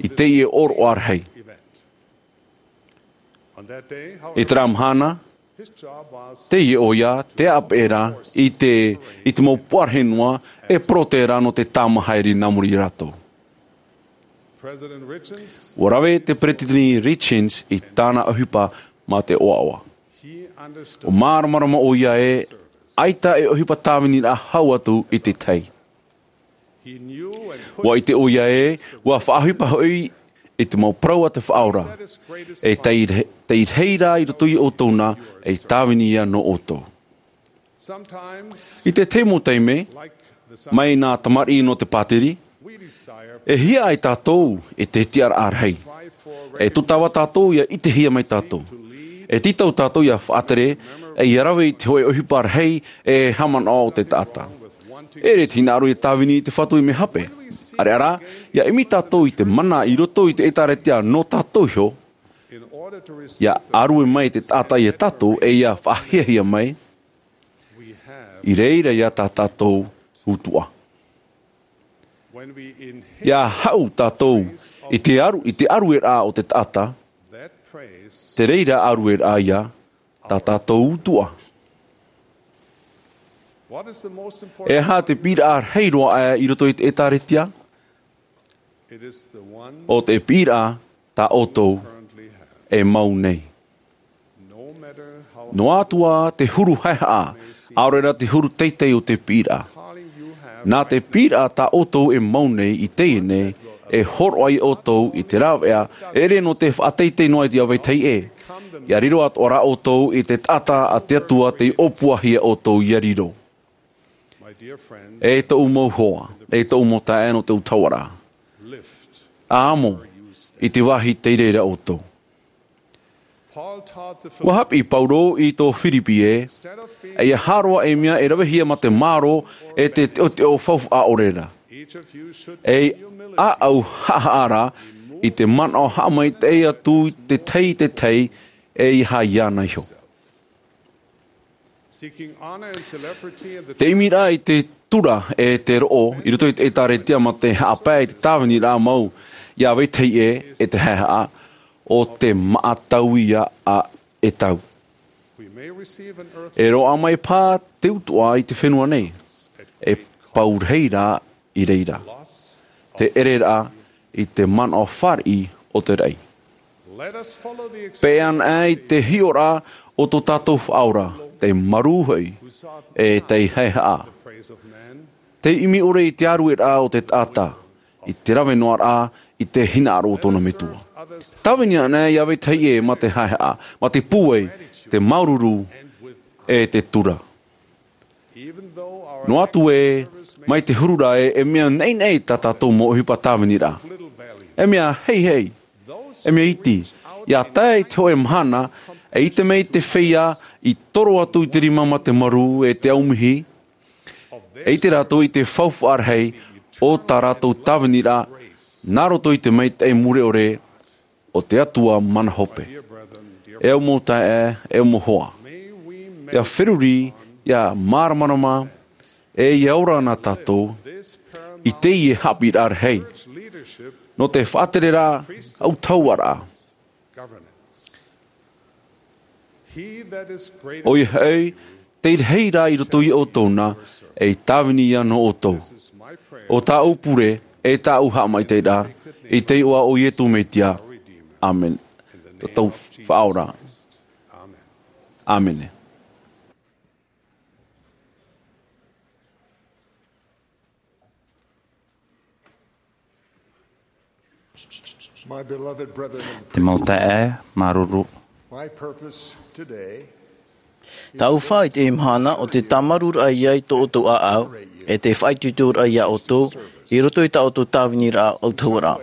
i teie ʻōroʻa rahi. I terā mahana, teie ʻoia te ʻāpeʻe ra i te, i te mau puarahi noa e poroteʻi ra nō te tāmau haere nā muri iā rātou. Ua rave te peresideni Richins i tāna ʻohipa mā te ʻoaʻoa. ʻUa māramarama ʻoia ē, ʻaita e ʻohipa tāviniraʻa hau atu i te tahi. Ua ʻite ʻoia ē, ua faʻaʻohipa hoʻi i te mau parau a te Faʻaora. E tei, tei rahi ra i roto iā ʻoutou na, e tāvini ia nō ʻoutou. I te tahi mau taime, mai nā tamariʻi nō te pātiri, e hiaʻai tātou i te tiʻaraʻa rahi. E tūtava tātou ia ʻitehia mai tātou. E tītau tātou ia faʻatere, e ia rave i te hōʻē ʻohipa rahi e haʻamanaʻo o te taʻata. E ʻere te hinaʻaro ia tāvini i te Fatu i mea hape. ʻAreʻa rā, ia ʻimi tātou i te mana i roto i te ʻĒtārētia nō tātou iho, ia ʻārue mai te taʻata iā tātou e ia faʻahiahia mai, i reira ia tā tātou utuʻa. Ia haʻu tātou i te ʻaru, i te ʻarueraʻa o te taʻata, te reira ʻarueraʻa ia tā tātou utuʻa. E aha te piʻiraʻa rahi roa aʻe i roto i te ʻĒtārētia? ʻO te piʻiraʻa tā ʻoutou e mau nei. Noa atu ā te huru haehaʻa, ʻaore rā te huru teitei o te piʻiraʻa. Nā te piʻiraʻa tā ʻoutou e mau nei i teie nei, e hōroʻa ia ʻoutou i te rāveʻa, e ʻere nō te faʻateitei noa i te vetahi ʻē. Ia riro atoʻa rā ʻoutou i te taʻata a te Atua tei ʻōpuahia ʻoutou ia riro. E tōʻu mau hoa, e tōʻu mau taeaʻe nō te autahuʻaraʻa. ʻA amo, i te vāhi tei reira ʻoutou. Ua haʻapiʻi Paulo i tō Firipi ē, ʻeiaha roa e mea e ravehia mā te mārō e te teʻoteʻo faufaʻa ʻore ra. E ʻāʻau haʻahaʻa ra i te manaʻo haʻamaitaʻi atu i te tahi i te tahi, ʻeiaha iāna iho. Te ʻimiraʻa i te tura e te roʻo i roto i te ʻĒtārētia mā te haʻapae i te tāviniraʻa mau i te vetahi ʻē e te haehaʻa, ʻo te māʻa tau ia ʻa ʻEtau. E roaʻa mai paha te utuʻa i te fenua nei, e pau rahi rā i reira. Te ʻereraʻa i te manaʻo fāriʻi o te raʻi. Peʻe anaʻe i te hiʻoraʻa o tō tātou Faʻaora, tei marū hoʻi, e tei haehaʻa. Tei ʻimi ʻore i te ʻārueraʻa o te taʻata, i te rave noa ra i te hinaʻaro o tōna Metua. Tāvini anaʻe i te vetahi ʻē mā te haehaʻa, mā te pūai, te māuruuru, e te tura. Noa atu ē, mai te huru ra ē, e mea naʻinaʻi tā tātou mau ʻohipa tāviniraʻa. E mea heihei, e mea iti, ia tae i te hōʻē mahana, e ʻite mai te feiā i toro atu i te rima mā te marū e te aumihi, e ʻite rātou i te faufaʻa rahi o tā rātou tāviniraʻa, nā roto i te maitaʻi mure ʻore o te Atua mana hope. E au mau taeaʻe, e au mau hoa. Ia feruri, ia māramarama, e ia ora na tātou, i teie haʻapiʻiraʻa rahi. Nō te faʻatereraʻa autahuʻaraʻa. ʻOia hoʻi, tei rahi rā i roto ia ʻoutou na, e tāvini ia nō ʻoutou. ʻO tāʻu pure, e tāʻu haʻamaitaʻiraʻa, i te iʻoa o Iesu Mesia. ʻĀmene. tō tau Faʻaora. ʻĀmene. My beloved brethren in the Te mau taeaʻe māuruuru. My purpose today Tāʻu fā i teie mahana ʻo te tāmarūraʻa i tō ʻoutou ʻāʻau, e te faʻaitoitoraʻa iā ʻoutou, i roto i tā ʻoutou tāviniraʻa ʻautahuʻaraʻa.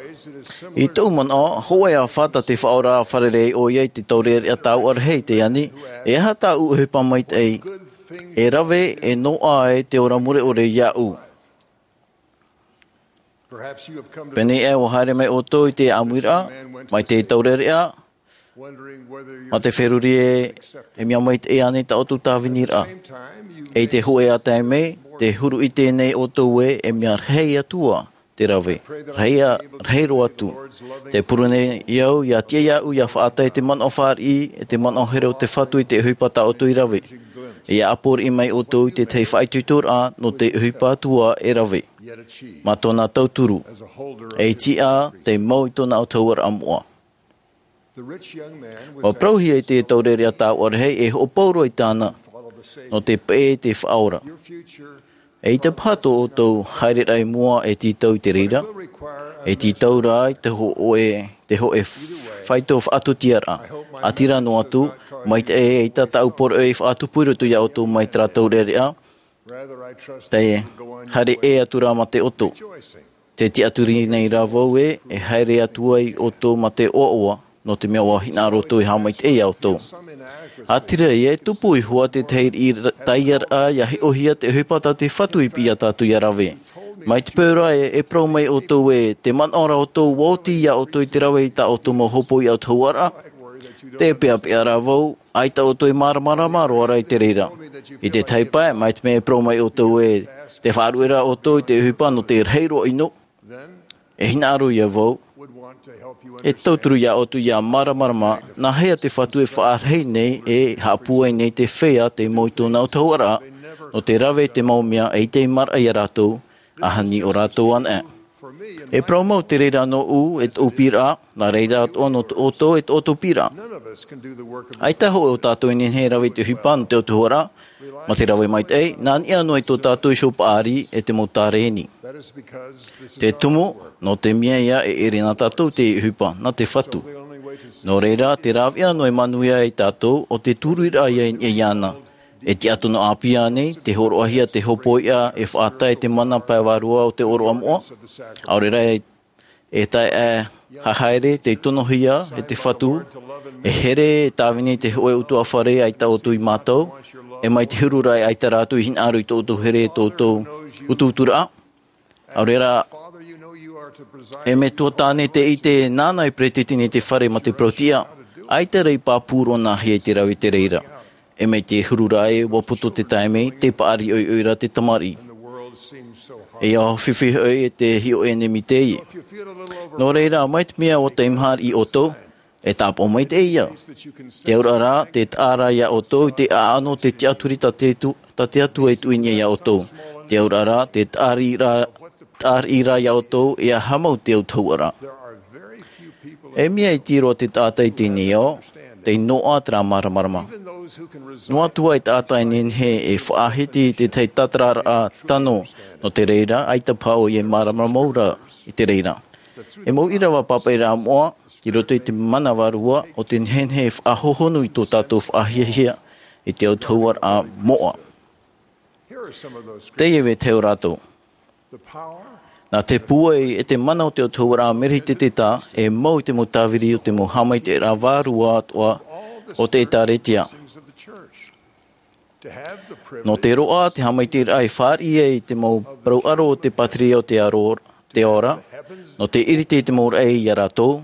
I tōʻu manaʻo, hōʻē āfata te Faʻaora fārerei ʻoia i te taureʻareʻa tāuʻarahi i te ani, e aha tāʻu ʻohipa maitaʻi, e rave, e noaʻa ai te ora mure ʻore iāʻu. Pēnei aʻe ʻua haere mai ʻoutou i te ʻāmuiraʻa, mai te taureʻareʻa, mā te feruri ē, e mea maitaʻi ānei tā ʻoutou tāviniraʻa. E i te hōʻē taime, tē huru ʻite nei ʻoutou ē, e mea rahi atu ā te rave, rahi ā, rahi roa atu. Tē pure nei au, ʻia tiʻa iāʻu, ʻia faʻatae te manaʻo fāriʻi, e te manaʻo here o te Fatu i te ʻohipa tā ʻoutou i rave. ʻIa ʻāpōriʻi mai ʻoutou i te tahi faʻaitoitoraʻa nō te ʻohipa atu ā e rave. Mā tōna tauturu, e tiʻa te mau i tōna ʻautahuʻaraʻa moʻa. ʻUa parauhia e te taureʻareʻa tāuʻarahi e hoʻopau roa i tāna, nō te peʻe i te Faʻaora. E ʻaita paha tō ʻoutou haereraʻa i mua e tītau i te reira, e tītau rā i te hōʻē, te hōʻē faito faʻatūtiaraʻa. ʻĀtīrā noa atu, maitaʻi e ʻaita tāʻu poroʻi faʻatupu i roto iā ʻoutou mai terā taureʻareʻa, tē haere ʻē atu rā mā te ʻoto. Tē tiʻaturi nei rā vau ē, e haere atu ai ʻoutou mā te ʻoaʻoa, nō te mea ʻua hinaʻaro ʻoutou e haʻamaitaʻi iā ʻoutou. ʻĀtīrā ïa e tupu iho ā te tahi riʻi taiaraʻa ʻia hiʻohia te ʻohipa tā te Fatu i piʻi iā tātou ʻia rave. Mai te peu ra ē, e parau mai ʻoutou ē, tē manaʻo ra ʻoutou ʻua oti iā ʻoutou i te rave i tā ʻoutou mau hōpoiʻa ʻautahuʻaraʻa, tē peʻapeʻa rā vau, ʻaita ʻoutou e māramarama roa ra i te reira. I te tahi pae, mai te mea e parau mai ʻoutou ē, tē faʻaruʻe ra ʻoutou i te ʻohipa nō te rahi roa ʻino, e hinaʻaro ïa vau, e tauturu iā ʻoutou ʻia māramarama, nāhea te Fatu e faʻarahi nei, e haʻapūai nei te feiā tei mau i tōna ʻautahuʻaraʻa, nō te rave i te mau mea e ʻite maraʻa iā rātou, ʻaita ʻo rātou anaʻe. E parau mau te reira nōʻu, e tōʻu piʻiraʻa, nā reira atoʻa nō ʻoutou, e tō ʻoutou piʻiraʻa. ʻAita hōʻē o tātou e nehenehe e rave i te ʻohipa nō te ʻautahuʻaraʻa, mā te rave maitaʻi, nā niʻa noa i tō tātou iho paʻari, e te mau tārēni. Te tumu, nō te mea ïa e ʻere na tātou te ʻohipa, nā te Fatu. Nō reira, te rāveʻa noa e manuia ai tātou, ʻo te tūruiraʻa ïa i niʻa iāna. E tiʻaturi ʻāpī ānei, te hōroʻahia te hōpoiʻa, e faʻatae te mana pae vārua o te ʻōroʻa moʻa. ʻAore rā e, e tae ā, haere, tei tonohia, e te Fatu, e here, e tāvini te hōʻē ʻutuāfare ʻaita ʻoutou i mātau, e mai te huru ra ē ʻaita rātou i hinaʻaro i tō ʻoutou here, tō ʻoutou utuuturaʻa. ʻAore rā, e metua tāne tē ʻite nāna e peretiteni te fare mā te parau-tiʻa, ʻaita rā i pāpū roa nāhea i te rave i te reira. E mai te huru ra ē ʻua puta te taime, tē paʻari ʻoiʻoi ra te tamariʻi. E ʻia fifi hoʻi e te hiʻo ʻenemi teie. Nō reira, mai te mea ʻua taimaha riʻi ʻoutou, e tāpaʻo maitaʻi ïa. Te auraʻa rā, tē taʻa ra iā ʻoutou i te ʻaʻano o te tiʻaturi tā te Atu-, tā te Atua i tuʻu i niʻa iā ʻoutou. Te auraʻa rā, tē taʻa riʻi ra, taʻa riʻi ra iā ʻoutou, e aha mau te ʻautahuʻaraʻa. E mea iti roa te taʻata i teie nei ao, tei noaʻa terā māramarama. Noa atu ā e taʻata e nehenehe e faʻahiti i te tahi tātararaʻa tano, nō te reira, ʻaita paha ʻoia e māramarama mau ra i te reira. E mau ʻīrava pāpaʻiraʻa moʻa, i roto i te mana vārua, ʻo te nehenehe e faʻahohonu i tō tātou faʻahiahia i te ʻautahuʻaraʻa moʻa. Teie vetahi o rātou. Nā te pūai e te mana o te ʻautahuʻaraʻa Melehiteteta, e mau i te mau tāviri o te mau haʻamaitaʻiraʻa vārua atoʻa o te ʻĒtārētia. Nō te roaʻa, te haʻamaitaʻiraʻa e fāriʻi ai i te mau parau ʻaro o te pātireia o te aro, te ao ra, nō te ʻiriti i te mau raʻi iā rātou,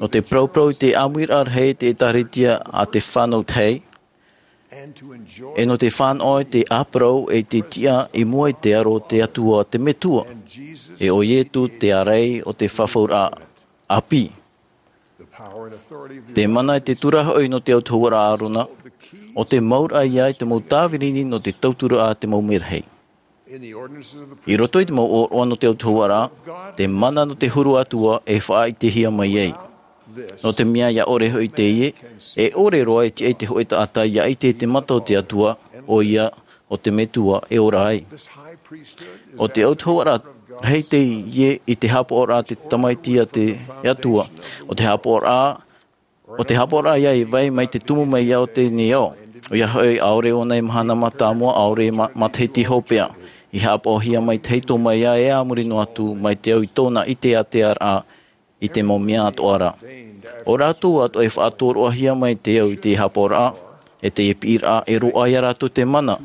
nō te parauparau i te ʻāmuiraʻa rahi i te ʻĒtārētia a te fānau tahi, e nō te fānaʻo i te ʻāparau e te tiʻa i mua i te aro o te Atua te Metua, e ʻo Ietu te ārai o te fafauraʻa ʻāpī. Te mana e te tūraʻa hoʻi nō te ʻautahuʻaraʻa Arona, ʻo te mauraʻa ïa i te mau tāviri nō te tauturu a te mau merahi. I roto i te mau ʻōroʻa nō te ʻautahuʻaraʻa, te mana nō te huru Atua e faʻaʻitehia mai ai. Nō te mea ia ʻore hoʻi teie, e ʻore roa e tiʻa i te hōʻē taʻata ia ʻite i te mata o te Atua, ʻoia, ʻo te Metua e ora ai. ʻO te autahuʻaraʻa rahi teie i te haʻapaʻoraʻa a te Tamaiti a te Atua, ʻo te haʻapaʻoraʻa, ʻo te haʻapaʻoraʻa ia e vai mai te tumu mai ia o teie nei ao. ʻOia hoʻi, ʻaore ʻōna e mahana mātāmua, ʻaore ma-, matahiti hopeʻa. I haʻapaʻohia mai te tahito mai ia e a muri noa atu, mai te au i tōna ʻite ātea ra, i te mau mea atoʻa ra. ʻO rātou atoʻa e faʻatoroʻahia mai te au i te haʻapaʻoraʻa, e te piʻiraʻa, e roaʻa ia rātou te mana,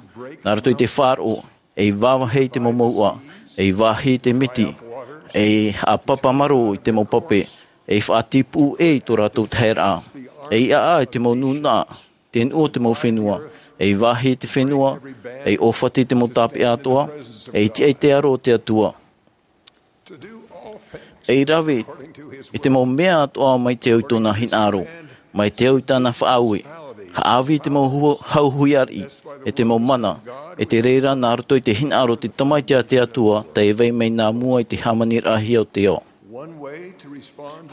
nā roto i te faʻaroʻo, ei vāvāhi i te mau mouʻa, ei vāhi i te miti, ei haʻapapa marō i te mau pape, ei faʻatipuʻu ʻē i tō rātou taheraʻa, ei ʻaʻa i te mau nūnaʻa, te nuʻu o te mau fenua, ei vāhi i te fenua, ei ʻōfati i te mau tāpeʻa atoʻa, ei tiʻa i te aro o te Atua. Ei rave i te mau mea atoʻa mai te au i tōna hinaʻaro, mai te au i tāna faʻaue, haʻavī i te mau hua-, hau hui ariʻi, e te mau mana, e te reira nā roto i te hinaʻaro o te Tamaiti a te Atua, tei vai mai nā mua i te hāmaniraʻahia o te ao.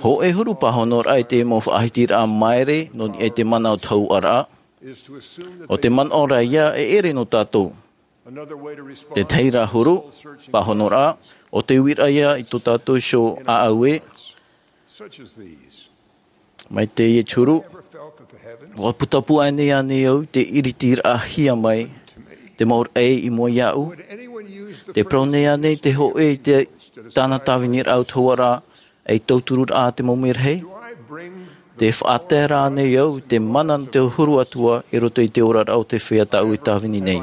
Hōʻē huru pāhonoraʻa i te mau faʻahitiraʻa maere, nō niʻa i te mana o te hauʻaraʻa, ʻo te manaʻo ra ia e ʻere nō tātou. Te tahi ra huru pāhonoraʻa, ʻo te uiraʻa ia i tō tātou iho ʻāʻau ē. Mai teie te huru, ʻua putapū ānei, ānei au te ʻiritiraʻahia mai, te mau raʻi i mua iāʻu? Te parau nei ānei te hōʻē i te tāna tāviniraʻa autahuʻaraʻa, ei tautururaʻa a te mau merahi? Te faʻatae ra ānei au te mana nō te huru atoʻa i roto i te oraraʻa o te feiā tāʻu e tāvini nei?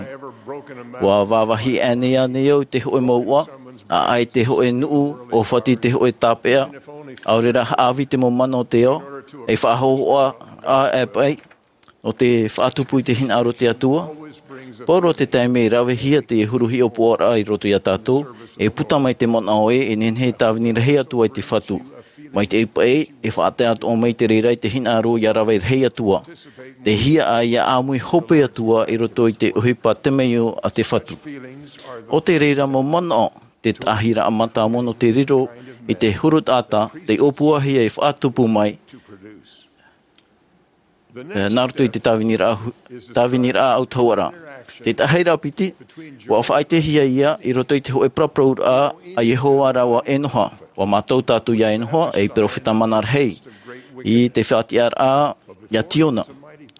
ʻUa vāvāhi ānei, ānei au te hōʻē mouʻa, ʻaʻa i te hōʻē nuʻu, ʻōfati i te hōʻē tāpeʻa, ʻaore rā haʻavī i te mau mana o te ao, ei faʻahōhoʻa ʻā e paʻi, nō te faʻatupu i te hinaʻaro o te Atua? Pauroa te taime e ravehia te huru hiʻopoʻaraʻa i roto ia tātou, e puta mai te manaʻo ē, e nehenehe e tāvini rahi atu ai te Fatu. Mai te paʻi, e faʻatae atoʻa mai te reira i te hinaʻaro ia rave rahi atu ā. Te hiaʻai ia ʻāmui hope atu ā i roto i te ʻohipa temeio a te Fatu. ʻO te reira mau manaʻo, te taʻahiraʻa mātāmua nō te riro i te huru taʻata, tei ʻōpuahia e faʻatupu mai, e, nā roto i te tāviniraʻa hu-, tāviniraʻa autahuʻaraʻa. Te tahi ra piti, ʻua faʻaʻitehia ia i roto i te hōʻē paraparauraʻa a Iehova rāua ʻo Enoha. ʻUa mātau tātou ia Enoha, ei perofeta mana rahi, i te faʻatiʻaraʻa ia Tiona,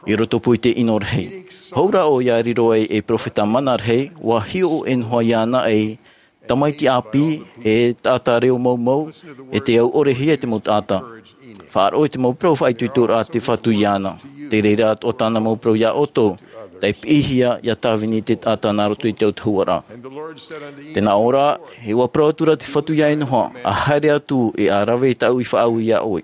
i rotopū i te ʻino rahi. Hou rā ʻoia e riro ai ei perofeta mana rahi, ʻua hiʻo ʻo Enoha iāna ei tamaiti ʻāpī, e taʻata reo maumau, e tei au ʻorehia i te mau taʻata. Faʻaroʻo i te mau parau faʻaitoitoraʻa a te Fatu iāna. Te reira atoʻa tāna mau parau ia ʻoutou, tei piʻihia ia tāvini te taʻata nā roto i te autahuʻaraʻa. Tē nā ʻō ra, e ʻua parau atura te Fatu ia Enoha, ʻa haere atu e ʻa rave i tāʻu i faʻaue ia ʻoe.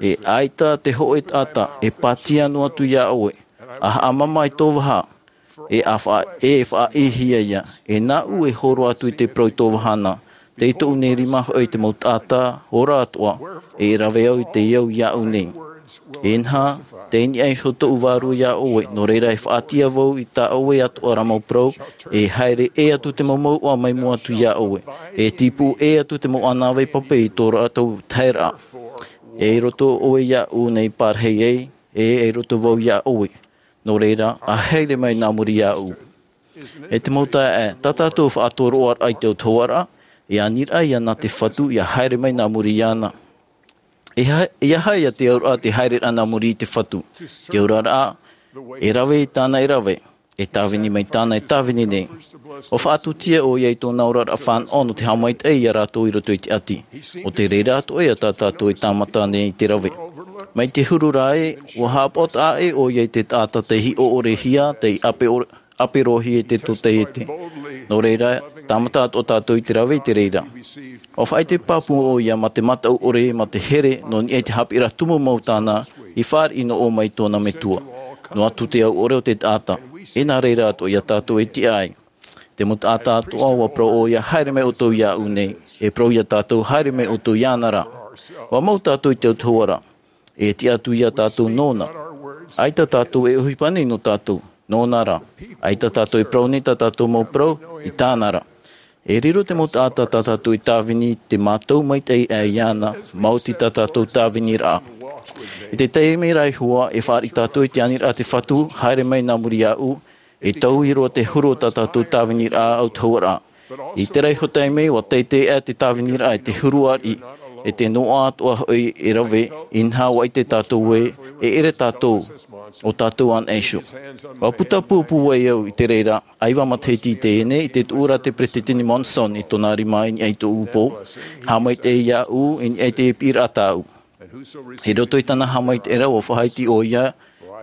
E ʻaita te hōʻē taʻata e pātia noa atu ia ʻoe, ʻa haʻamama i tō vaha, e ʻa faʻa-, e faʻaʻīhia ia, e nāʻu e hōroʻa atu i te parau i tō vaha na, tei tōʻu nei rima hoʻi te mau taʻata ora atoʻa, e rave au i te au iāʻu nei. Inaha, tei niʻa iho tōʻu vārua ia ʻoe, nō reira e faʻatia vau i tā ʻoe atoʻa ra mau parau, e haere ʻē atu te mau mouʻa mai mua atu ia ʻoe, e tīpū ʻē atu te mau ʻānāvai pape i tō rātou taheraʻa. E i roto ʻoe iāʻu nei parahi ai, e, e i roto vau ia ʻoe, nō reira, ʻa haere mai nā muri iāʻu. E te mau taeaʻe, tā tātou faʻatoroʻaraʻa i te autahuʻaraʻa, e aniraʻa ia nā te Fatu ia haere mai nā muri iāna. E ha-, e aha ia te auraʻa te haereraʻa nā muri i te Fatu? Te auraʻa, e rave i tāna e rave, e tāvini mai tāna e tāvini nei. ʻUa faʻatūtia ʻoia i tōna oraraʻa fānaʻo nō te haʻamaitaʻi ia rātou i roto i te ʻati. ʻO te reira atoʻa ia tā tātou e tāmata nei i te rave. Mai te huru ra ē, ʻua haʻapaʻo taʻa ʻē ʻoia i te taʻata tei hiʻo ʻorehia, tei ʻape ʻore-, ʻape roa hia i te totaiete. Nō reira, tāmata atoʻa tātou i te rave i te reira. ʻUa faʻaʻite pāpū ʻoia mā te mataʻu ʻore, mā te here, nō niʻa i te haʻapiʻiraʻa tumu mau tāna, i fāriʻi noa mai tōna Metua. Noa atu te au ʻore o te taʻata. E nā reira atoʻa ia tātou e tiʻa ai. Te mau taʻata atoʻa, ʻua parau ʻoia, haere mai ʻoutou iāʻu nei. E parau ia tātou, haere mai ʻoutou iāna ra. ʻUa mau tātou i te autahuʻaraʻa. E tiʻa atu ia tātou nōna. ʻAita tātou e ʻohipa nei nō tātou, nōna ra. ʻAita tātou e parau nei tā tātou mau parau, i tāna ra. E riro te mau taʻata tā tātou e tāvini te mātau maitaʻi aʻe iāna, maoti tā tātou tāviniraʻa. I te taime rā e hua, e fāriʻi tātou i te aniraʻa te Fatu, haere mai nā muri iāʻu, e taui roa te huru o tā tātou tāviniraʻa autahuʻaraʻa. I terā iho taime, ʻua teitei aʻe te tāviniraʻa i te huru ariʻi, e te noaʻa atoʻa hoʻi e rave, inaha ʻua ʻite tātou ē, e ʻere tātou, ʻo tātou anaʻe iho. ʻUa puta pūpū ai au i te reira, ʻaiva matahiti i teie nei, i te tuʻu ra te Peresideni Monson i tōna rima i niʻa i tōʻu pō, haʻamaitaʻi iāʻu, i niʻa i te piʻiraʻa tāʻu. I roto i tāna haʻamaitaʻiraʻa ʻua faʻaʻite ʻoia,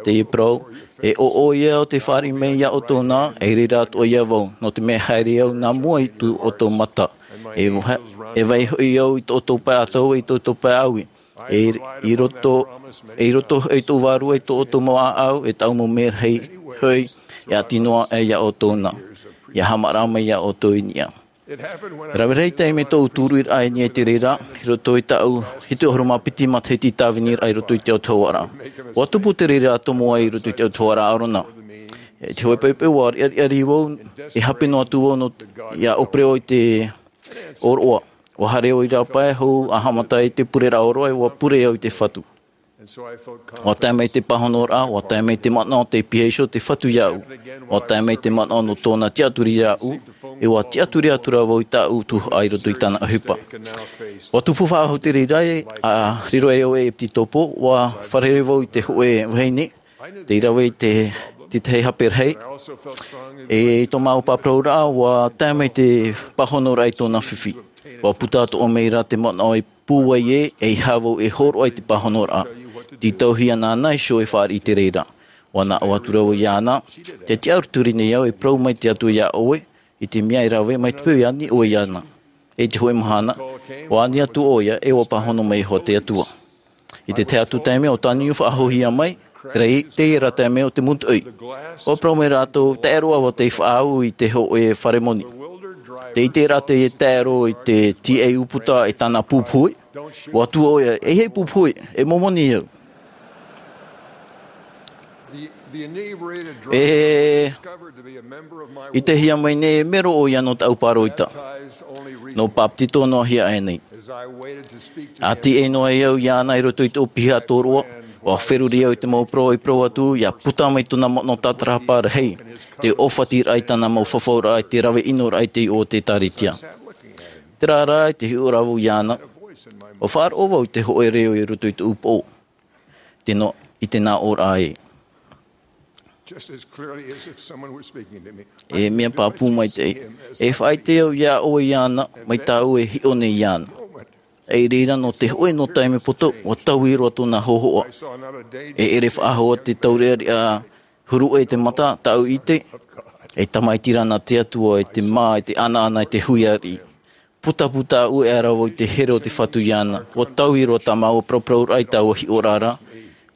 teie parau, e ʻoʻoʻo ia ʻo tē fāriʻi mai iā ʻoutou na, e reira atoʻa ia vau, nō te mea e haere au nā mua i tō ʻoutou mata. E va-, e vai hoʻi au i tō ʻoutou pae ʻātahu, i tō ʻoutou pae ʻāuī. E i roto, e i roto i tōʻu vārua i tō ʻoutou mau ʻāʻau, e tāʻu mau merahi hoʻi, e ʻati noa aʻe iā ʻoutou na. ʻIa haʻamāramarama mai iā ʻoutou i niʻa. Rave rahi taime tōʻu tūruiraʻa i niʻa i te reira, i roto i tāʻu hitu ʻahuru mā piti matahiti tāviniraʻa i roto i te autahuʻaraʻa. ʻUa tupu te reira tomo ai i roto i te autahuʻaraʻa ʻArona. E te hōʻē poʻipoʻi ʻua riʻariʻa vau, e hape noa atu vau nō, ʻia ʻōpere au i te ʻōroʻa. ʻUa haere au i rāpae hou, ʻa haʻamata i te pureraʻa ʻōroʻa, e ʻua pure au i te Fatu. ʻUa tae mai te pāhonoraʻa, ʻua tae mai te manaʻo tē pihaʻi iho te Fatu iāʻu. ʻUa tae mai te manaʻo nō tōna tiʻaturi iāʻu, e ʻua tiʻaturi atu ra vau i tāʻu tuhaʻa i roto i tāna ʻohipa. ʻUa tupu faʻahou te reira, ʻa riro ai au e piti topo, ʻua fārerei vau i te hōʻē vahine, tei rave i te, te tahi hape rahi. E i tō māua paraparau ra, ʻua tae mai te pāhonoraʻa i tōna fifi. ʻUa puta atoʻa mai ra te manaʻo e pūai ē, eiaha vau e hōroʻa i te pāhonoraʻa. Tītauhia nāna iho e fāriʻi i te reira. ʻUa nā ʻō atu ra vau iāna, tē tiʻaturi nei au e parau mai te Atua iā ʻoe, i te mea e rave mai te peu e ani ʻoe iāna. I te hōʻē mahana, ʻua ani atu ʻoia, e ʻua pāhono mai iho te Atua. I te tahi atu taime ʻua tāniu faʻahouhia mai, terā, teie rā taime ʻo te mūtoʻi. ʻUa parau mai rātou, taʻero ʻaita tei faʻaau i te hōʻē fare moni. Tē ʻite ra teie taʻero i te tīaʻi ʻūputa e tāna pūpuhui. ʻUa tuʻu ʻoia, e hei pūpuhui, e momoni au. E, i te hia mai nei e mero ʻoia nō tāʻu pāroita. Nō bāpetizo noa hia aʻe nei. ʻA tīaʻi noa ai au iāna i roto i tōʻu piha tōroʻa, ʻua feruri au i te mau parau i parau atu, ʻia puta mai tōna manaʻo tātarahapa rahi, te ʻōfatiraʻa i tāna mau fafauraʻa i te rave ʻinoraʻa i te iʻoa o te ʻĒkālesia. Terā rā, i te hiʻo ra vau iāna, ʻua faʻaroʻo vau i te hōʻē reo i roto i tōʻu pō. Te no-, i te nā ʻō ra ē. Just as clearly as if someone were speaking to me. E mea pāpū maitaʻi. E faʻaʻite au iā ʻoe iāna, mai tāʻu e hiʻo nei iāna. E i reira nō te hōʻē noa taime poto, ʻua taui roa tōna hōhoʻa. E ʻere faʻahou te taureʻareʻa huru ʻē te mata, tāʻu ʻite. E tamaiti ra nā te Atua, e te mā, e te ʻanaʻana, e te hui ariʻi. Putaputa ʻē ra vau i te here o te Fatu iāna. ʻUa taui roa tā māua paraparauraʻa i taua hiʻoraʻa ra.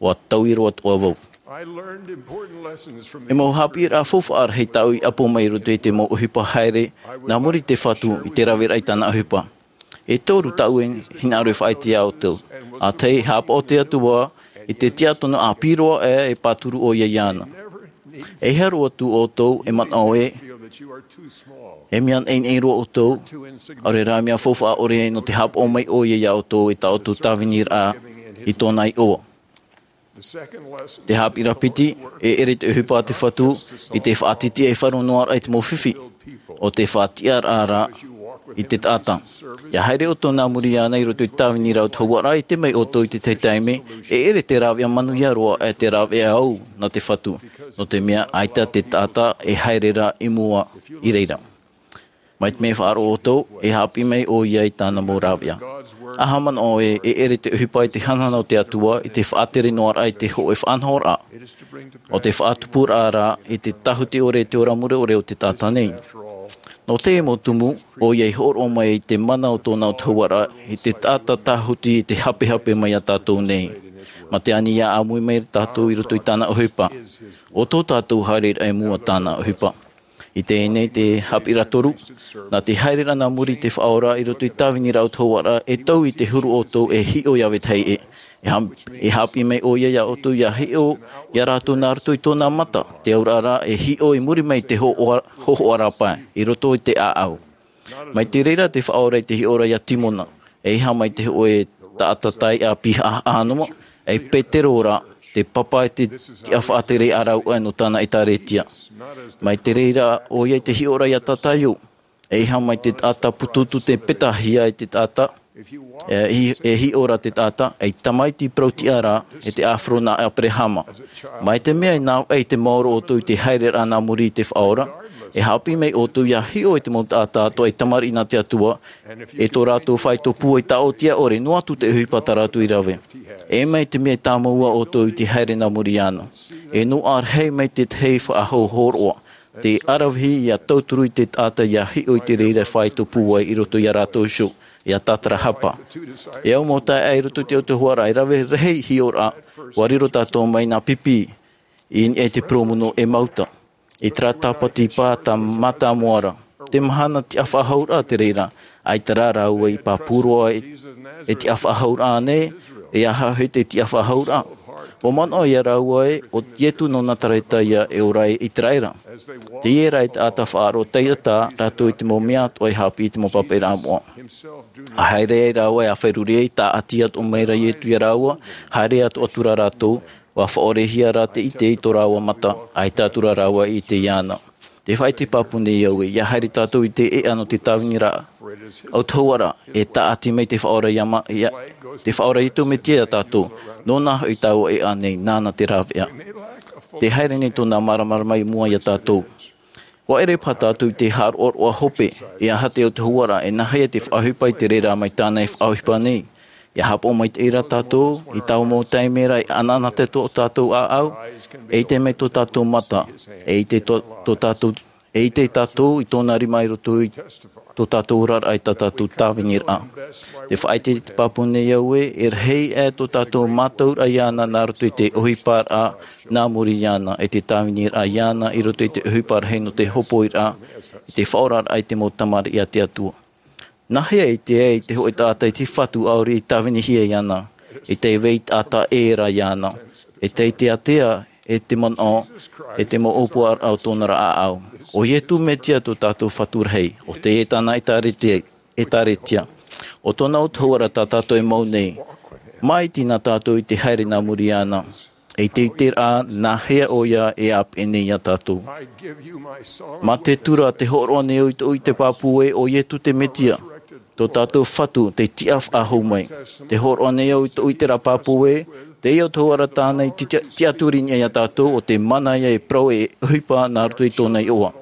ʻUa taui roa atoʻa vau. I learned important lessons from E mau haʻapiʻiraʻa faufaʻa rahi tāʻu i ʻapo mai i roto i te mau ʻohipa haere, nā muri i te Fatu i te raveraʻa i tāna ʻohipa. E toru tāʻu e hinaʻaro e faʻaʻite iā ʻoutou. ʻA tahi, haʻapaʻo te Atua i te tiʻatonu ʻāpī roa ʻē e pāturu ʻoia iāna. E hea roa atu ʻoutou e manaʻo ē, e mea naʻinaʻi roa ʻoutou, ʻaore rā mea faufaʻa ʻore nō te haʻapaʻo mai ʻoia iā ʻoutou e tā ʻoutou tāviniraʻa i tōna iʻoa. Te haʻapiʻiraʻa piti, e ʻere te ʻohipa a te Fatu i te faʻatitiʻa e faʻaroʻo noa ra i te mau fifi, ʻo te faʻatiʻaraʻa ra i te taʻata. ʻIa haere ʻoutou nā muri iāna i roto i te tāviniraʻa autahuʻaraʻa, ʻite mai ʻoutou i te tahi taime, e ʻere te rāveʻa manuia roa ʻē te rāveʻa au nā te Fatu, nō te mea ʻaita te taʻata e haere ra i mua i reira. Mai te mea e faʻaroʻo ʻoutou, e haʻapiʻi mai ʻoia i tāna mau rāveʻa. ʻA haʻamanaʻo ē, e ʻere te ʻohipa i te hanahana o te Atua, i te faʻatere noa ra i te hōʻē faʻanahoraʻa. ʻO te faʻatupuraʻa ra i te tāhuti ʻore i te ora mure ʻore o te taʻata nei. Nō teie mau tumu, ʻoia i hōroʻa mai i te mana o tōna autahuʻaraʻa, i te taʻata tāhuti i te hapehape mai iā tātou nei. Mā te ani ʻia ʻāmui mai tātou i roto i tāna ʻohipa. ʻO tō tātou haereraʻa i mua tāna ʻohipa. I teie nei te haʻapiʻiraʻa toru, nā te haereraʻa nā muri i te Faʻaora i roto i te tāviniraʻa autahuʻaraʻa, e taui i te huru ʻoutou e hiʻo ia vetahi ʻē. E ha-, e haʻapiʻi mai ʻoia iā ʻoutou ʻia hiʻo ia rātou nā roto i tōna mata, te auraʻa ra e hiʻo i muri mai i te hōhoʻa-, hōhoʻa rāpae, i roto i te ʻāʻau. Mai te reira te faʻaora i te hiʻoraʻa ia Timona, e ʻeiaha mai te hōʻē taʻata taiʻa pihaʻa noa, e Petero rā, te papa e te tiʻa faʻatere a rāua nō tāna ʻēkālesia. Mai te reira ʻoia i te hiʻoraʻa ia Tataio, e ʻeiaha mai te taʻata pututu te petahia e te taʻata, e, hi-, e hiʻo ra te taʻata, e tamaiti parau-tiʻa rā, e te ʻāfaro nā Aperahama. Mai te mea e nā, e te maoro ʻoutou i te haereraʻa nā muri i te faʻaora, e haʻapiʻi mai ʻoutou ia hiʻo i te mau taʻata atoʻa e tamariʻi nā te Atua, e tō rātou faito pūai taʻotiʻa ʻore, noa atu te ʻohipa tā rātou i rave. E mai te mea e tāmau ʻoutou i te haere nā muri iāna. E noaʻa rahi mai te tahi faʻahou hōroʻa, te aravihi ia tauturu i te taʻata ia hiʻo i te reira faito pūai i roto ia rātou iho, ia tātarahapa. E au mau taeaʻe i roto i te autahuʻaraʻa, e rave rahi hiʻoraʻa, ʻua riro tātou mai nā pipi, i niʻa i te parau-mono ʻEmauta. I terā tāpati pae tā Mata Moara. Te mahana tiʻafaʻahouraʻa te reira, ʻaita rā rāua i pāpū roa e, e tiʻafaʻahouraʻa nei, e aha hoʻi te tiʻafaʻahouraʻa. ʻUa manaʻo ia rāua ē, ʻo Ietu nō Nazareta ïa e ora i Iteraera. Teie rā e taʻata faʻaroʻo taiʻa tā rātou i te mau mea atoʻa e haʻapiʻi i te mau papaʻiraʻa moʻa. ʻA haere ai rāua e ʻa feruri ai, tāʻati atoʻa mai ra Ietu ia rāua, haere atoʻa atura rātou, ʻua faʻaorehia rā te ʻite i tō rāua mata, ʻaita atura rāua i ʻite iāna. Tē faʻaʻite pāpū nei au ē, ʻia haere tātou i te ʻēʻa nō te tāviniraʻa autahuʻaraʻa, e tāʻati mai te Faʻaora ia ma-, ia, te Faʻaora Ietu Metia ia tātou, nōna hoʻi taua ʻēʻa nei, nāna te rāveʻa. Tē haere nei tōna māramarama i mua ia tātou. ʻUa ʻere paha tātou i te haʻaroʻaroʻa hope, e aha te autahuʻaraʻa, e nāhea te faʻaʻohipa i te reira mai tāna e faʻaʻohipa nei. ʻIa haʻapaʻo maitaʻi rā tātou, i taua mau taime ra e ʻanaʻanatae tō tātou ʻāʻau, e ʻite mai tō tātou mata, e ʻite tō, tō tātou, e ʻite tātou i tōna rima i roto i tō tātou oraraʻa i tā tātou tāviniraʻa. Tē faʻaʻite pāpū nei au ē, e rahi aʻe tō tātou mātauraʻa iāna nā roto i te ʻohiparaʻa nā muri iāna, e te tāviniraʻa iāna i roto i te ʻohipa rahi nō te hopoiraʻa, i te faʻaoraraʻa i te mau tamariʻi a te Atua. Nāhea e ʻite ai te hōʻē taʻata i te Fatu ʻaore i tāvinihia iāna, e tei vai taʻata ʻē ra iāna, e tei teatea e te manaʻo, e te mau ʻōpuaraʻa o tōna ra ʻāʻau. ʻO Ietu Metia tō tātou Fatu rahi, ʻo teie tāna ʻēkālesia, ʻēkālesia. ʻO tōna autahuʻaraʻa tā tātou e mau nei. Māʻiti na tātou i te haere nā muri iāna. E te ʻiteraʻa, nāhea ʻoia e ʻāpeʻe nei ia tātou. Mā te tura, tē hōroʻa nei au i tōʻu ʻite pāpū ē, ʻo Ietu te Metia, tō tātou Fatu, tei tiʻafaʻahou mai. Tē hōroʻa nei au i tōʻu ʻiteraʻa pāpū ē, teie autahuʻaraʻa tāna i ti-, ti-, tiʻaturi i niʻa ia tātou, ʻo te mana ïa e parau e ʻohipa nā roto i tōna iʻoa.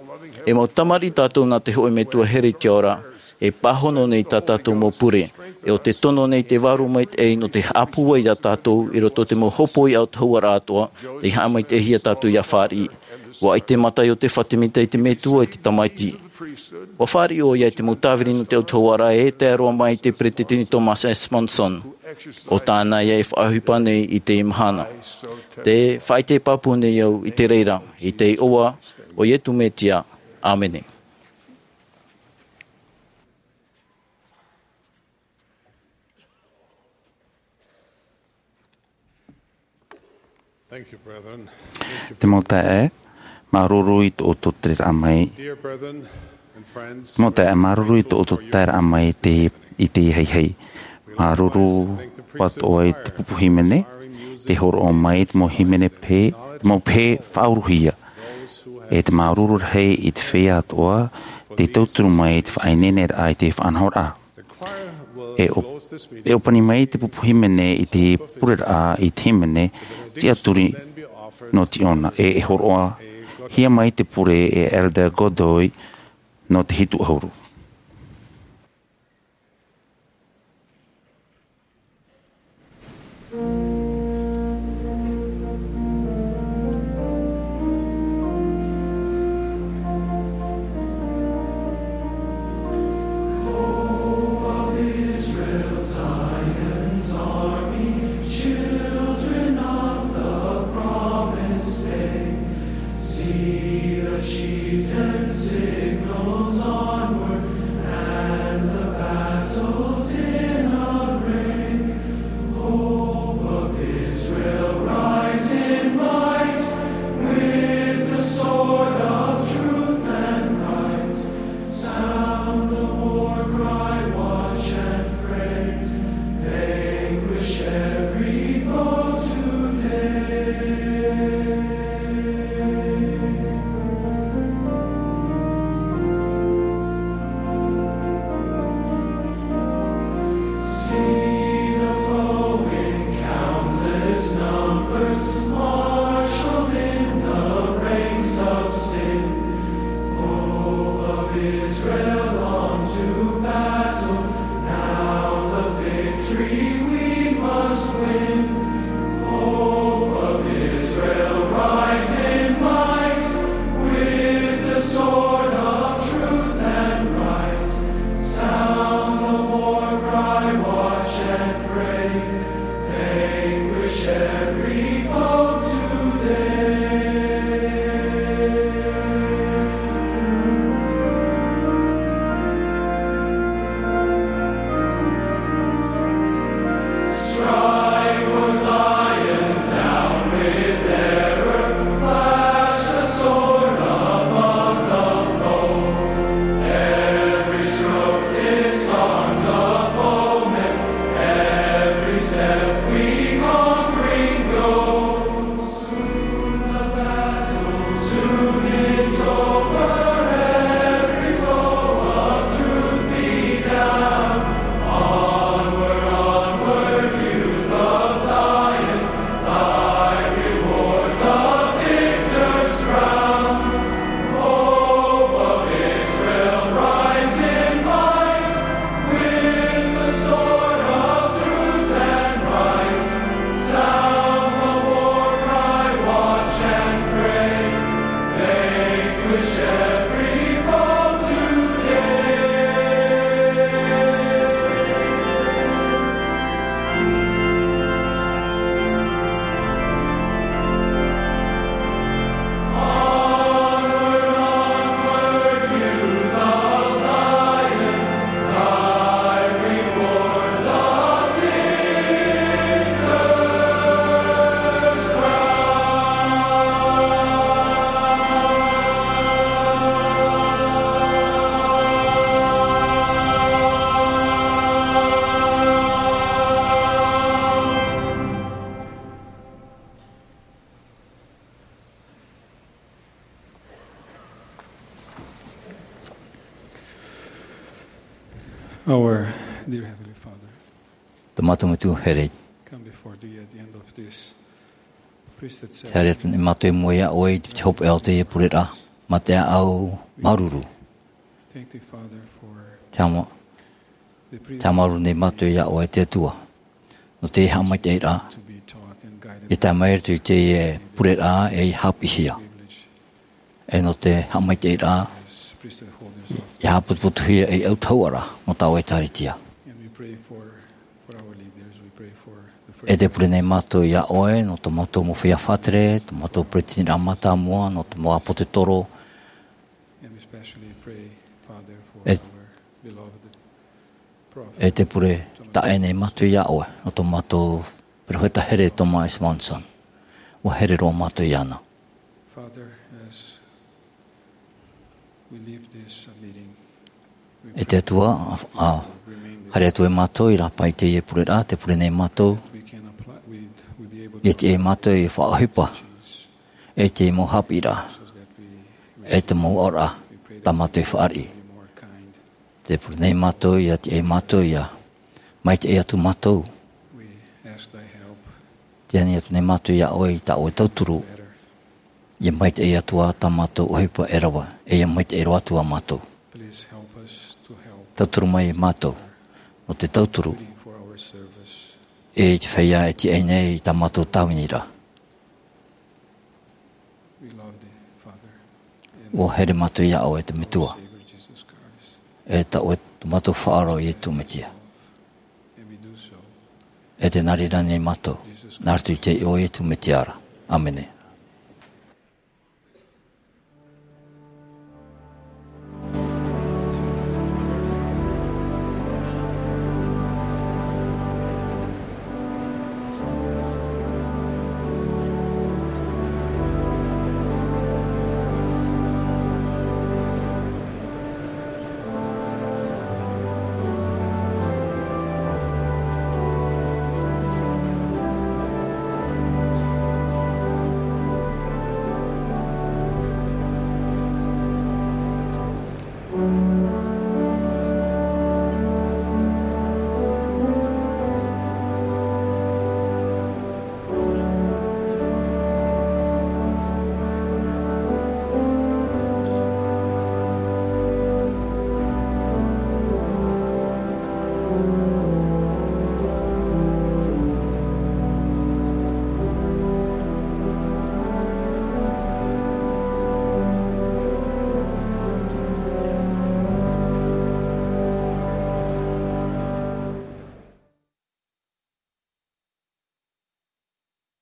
E mau tamariʻi tātou nā te hōʻē Metua here i te ao ra, e pāhono nei tā tātou mau pure, e ʻo te tono nei te Vārua Maitaʻi nō te haʻapūai ia tātou i roto i te mau hōpoi autahuʻaraʻa atoʻa, tei haʻamaitaʻihia tātou ʻia fāriʻi. ʻUa ʻite Mataio te Fatimita i te Metua i te Tamaiti. ʻUa fāriʻi ʻoia i te mau tāvini nō te autahuʻaraʻa e tae roa mai i te Peresideni Thomas S. Monson. ʻO tāna ïa e faʻaʻohipa nei i teie mahana. Tē faʻaʻite pāpū nei au i te reira, i te iʻoa o Ietu Metia. ʻĀmene. Thank you, brethren. Te mau taeaʻe, māuruuru i tō ʻoutou taeraʻa mai. Dear brethren and friends, Te mau taeaʻe, māuruuru i tō ʻoutou taeraʻa mai i te, i te haihai. Māuruuru atoʻa i te pupu hīmene, tē hōroʻa mai te mau hīmene pehe, te mau pehe faʻauruhia. E te māuruuru rahi i te feiā atoʻa, tē tauturu mai i te faʻaineineraʻa i te faʻanahoraʻa. E ʻō-, e ʻōpani mai te pupu hīmene i te pureraʻa i te hīmene tiʻaturi nō Tīona, e, e hōroʻahia mai te pure e Elder Godoy nō te hitu ʻahuru. Numbers marshaled in the ranks of sin. Hope of Israel on to battle. Now the victory we must win. Hope of Israel, rise in might. With the sword of truth and right. Sound the war cry, watch and pray. Vanquish every foe today. Strive for Zion, down with error, flash the sword above the foe. Every stroke disarms a foeman, every step we conquering go. Soon the battle, soon it's over, every foe of truth be down. Onward, onward, youth of Zion, thy reward the victor's crown. Hope of Israel, rise in might, with the sword of truth and right. Sound the war cry, watch and pray. Vanquish every foe today. Our dear Heavenly Father, tō mātou Metua here, come before thee at the end of this priesthood ceremony. Tē haere atu nei mātou i mua iā ʻoe i te hopeʻa o teie pureraʻa, mā te ʻāʻau māuruuru. Thank thee, Father, for Te hama-, te haʻamāuruuru nei mātou iā ʻoe, te Atua, nō te haʻamaitaʻiraʻa i tae mai atu i teie pureraʻa e haʻapiʻihia. E nō te haʻamaitaʻiraʻa i haʻapotopotohia ei autahuʻaraʻa nō tāʻu ʻĒtārētia. E tē pure nei mātou iā ʻoe nō tō mātou mau feiā faʻatere, tō mātou peretiteniraʻa mātāmua, nō te mau ʻāpōsetolo. E, e tē pure taʻa ʻē nei mātou iā ʻoe nō tō mātou peropheta here, Thomas S. Monson. ʻUa here roa mātou iāna. E te Atua, ā, haere atu ai mātou i rāpae i teie pureraʻa, tē pure nei mātou ʻia tiʻa iā mātou e faʻaʻohipa i te mau haʻapiʻiraʻa, e te mau aʻoraʻa tā mātou e fāriʻi. Tē pure nei mātou ʻia tiʻa iā mātou ʻia maitaʻi atu mātou. Tē ani atu nei mātou iā ʻoe i tā ʻoe tauturu, ʻia maitaʻi atu ā tā mātou ʻohipa e rave, e ʻia maitaʻi roa atu ā mātou. Tauturu mai iā mātou, nō te tauturu i te feiā e tiʻa nei i tā mātou tāviniraʻa. ʻUa here mātou iā ʻoe, te Metua, e tā ʻoe tō mātou Faʻaora ʻo Iesu Mesia. E tē nā reira nei mātou, nā roto i te iʻoa o Iesu Mesia ra. ʻĀmene.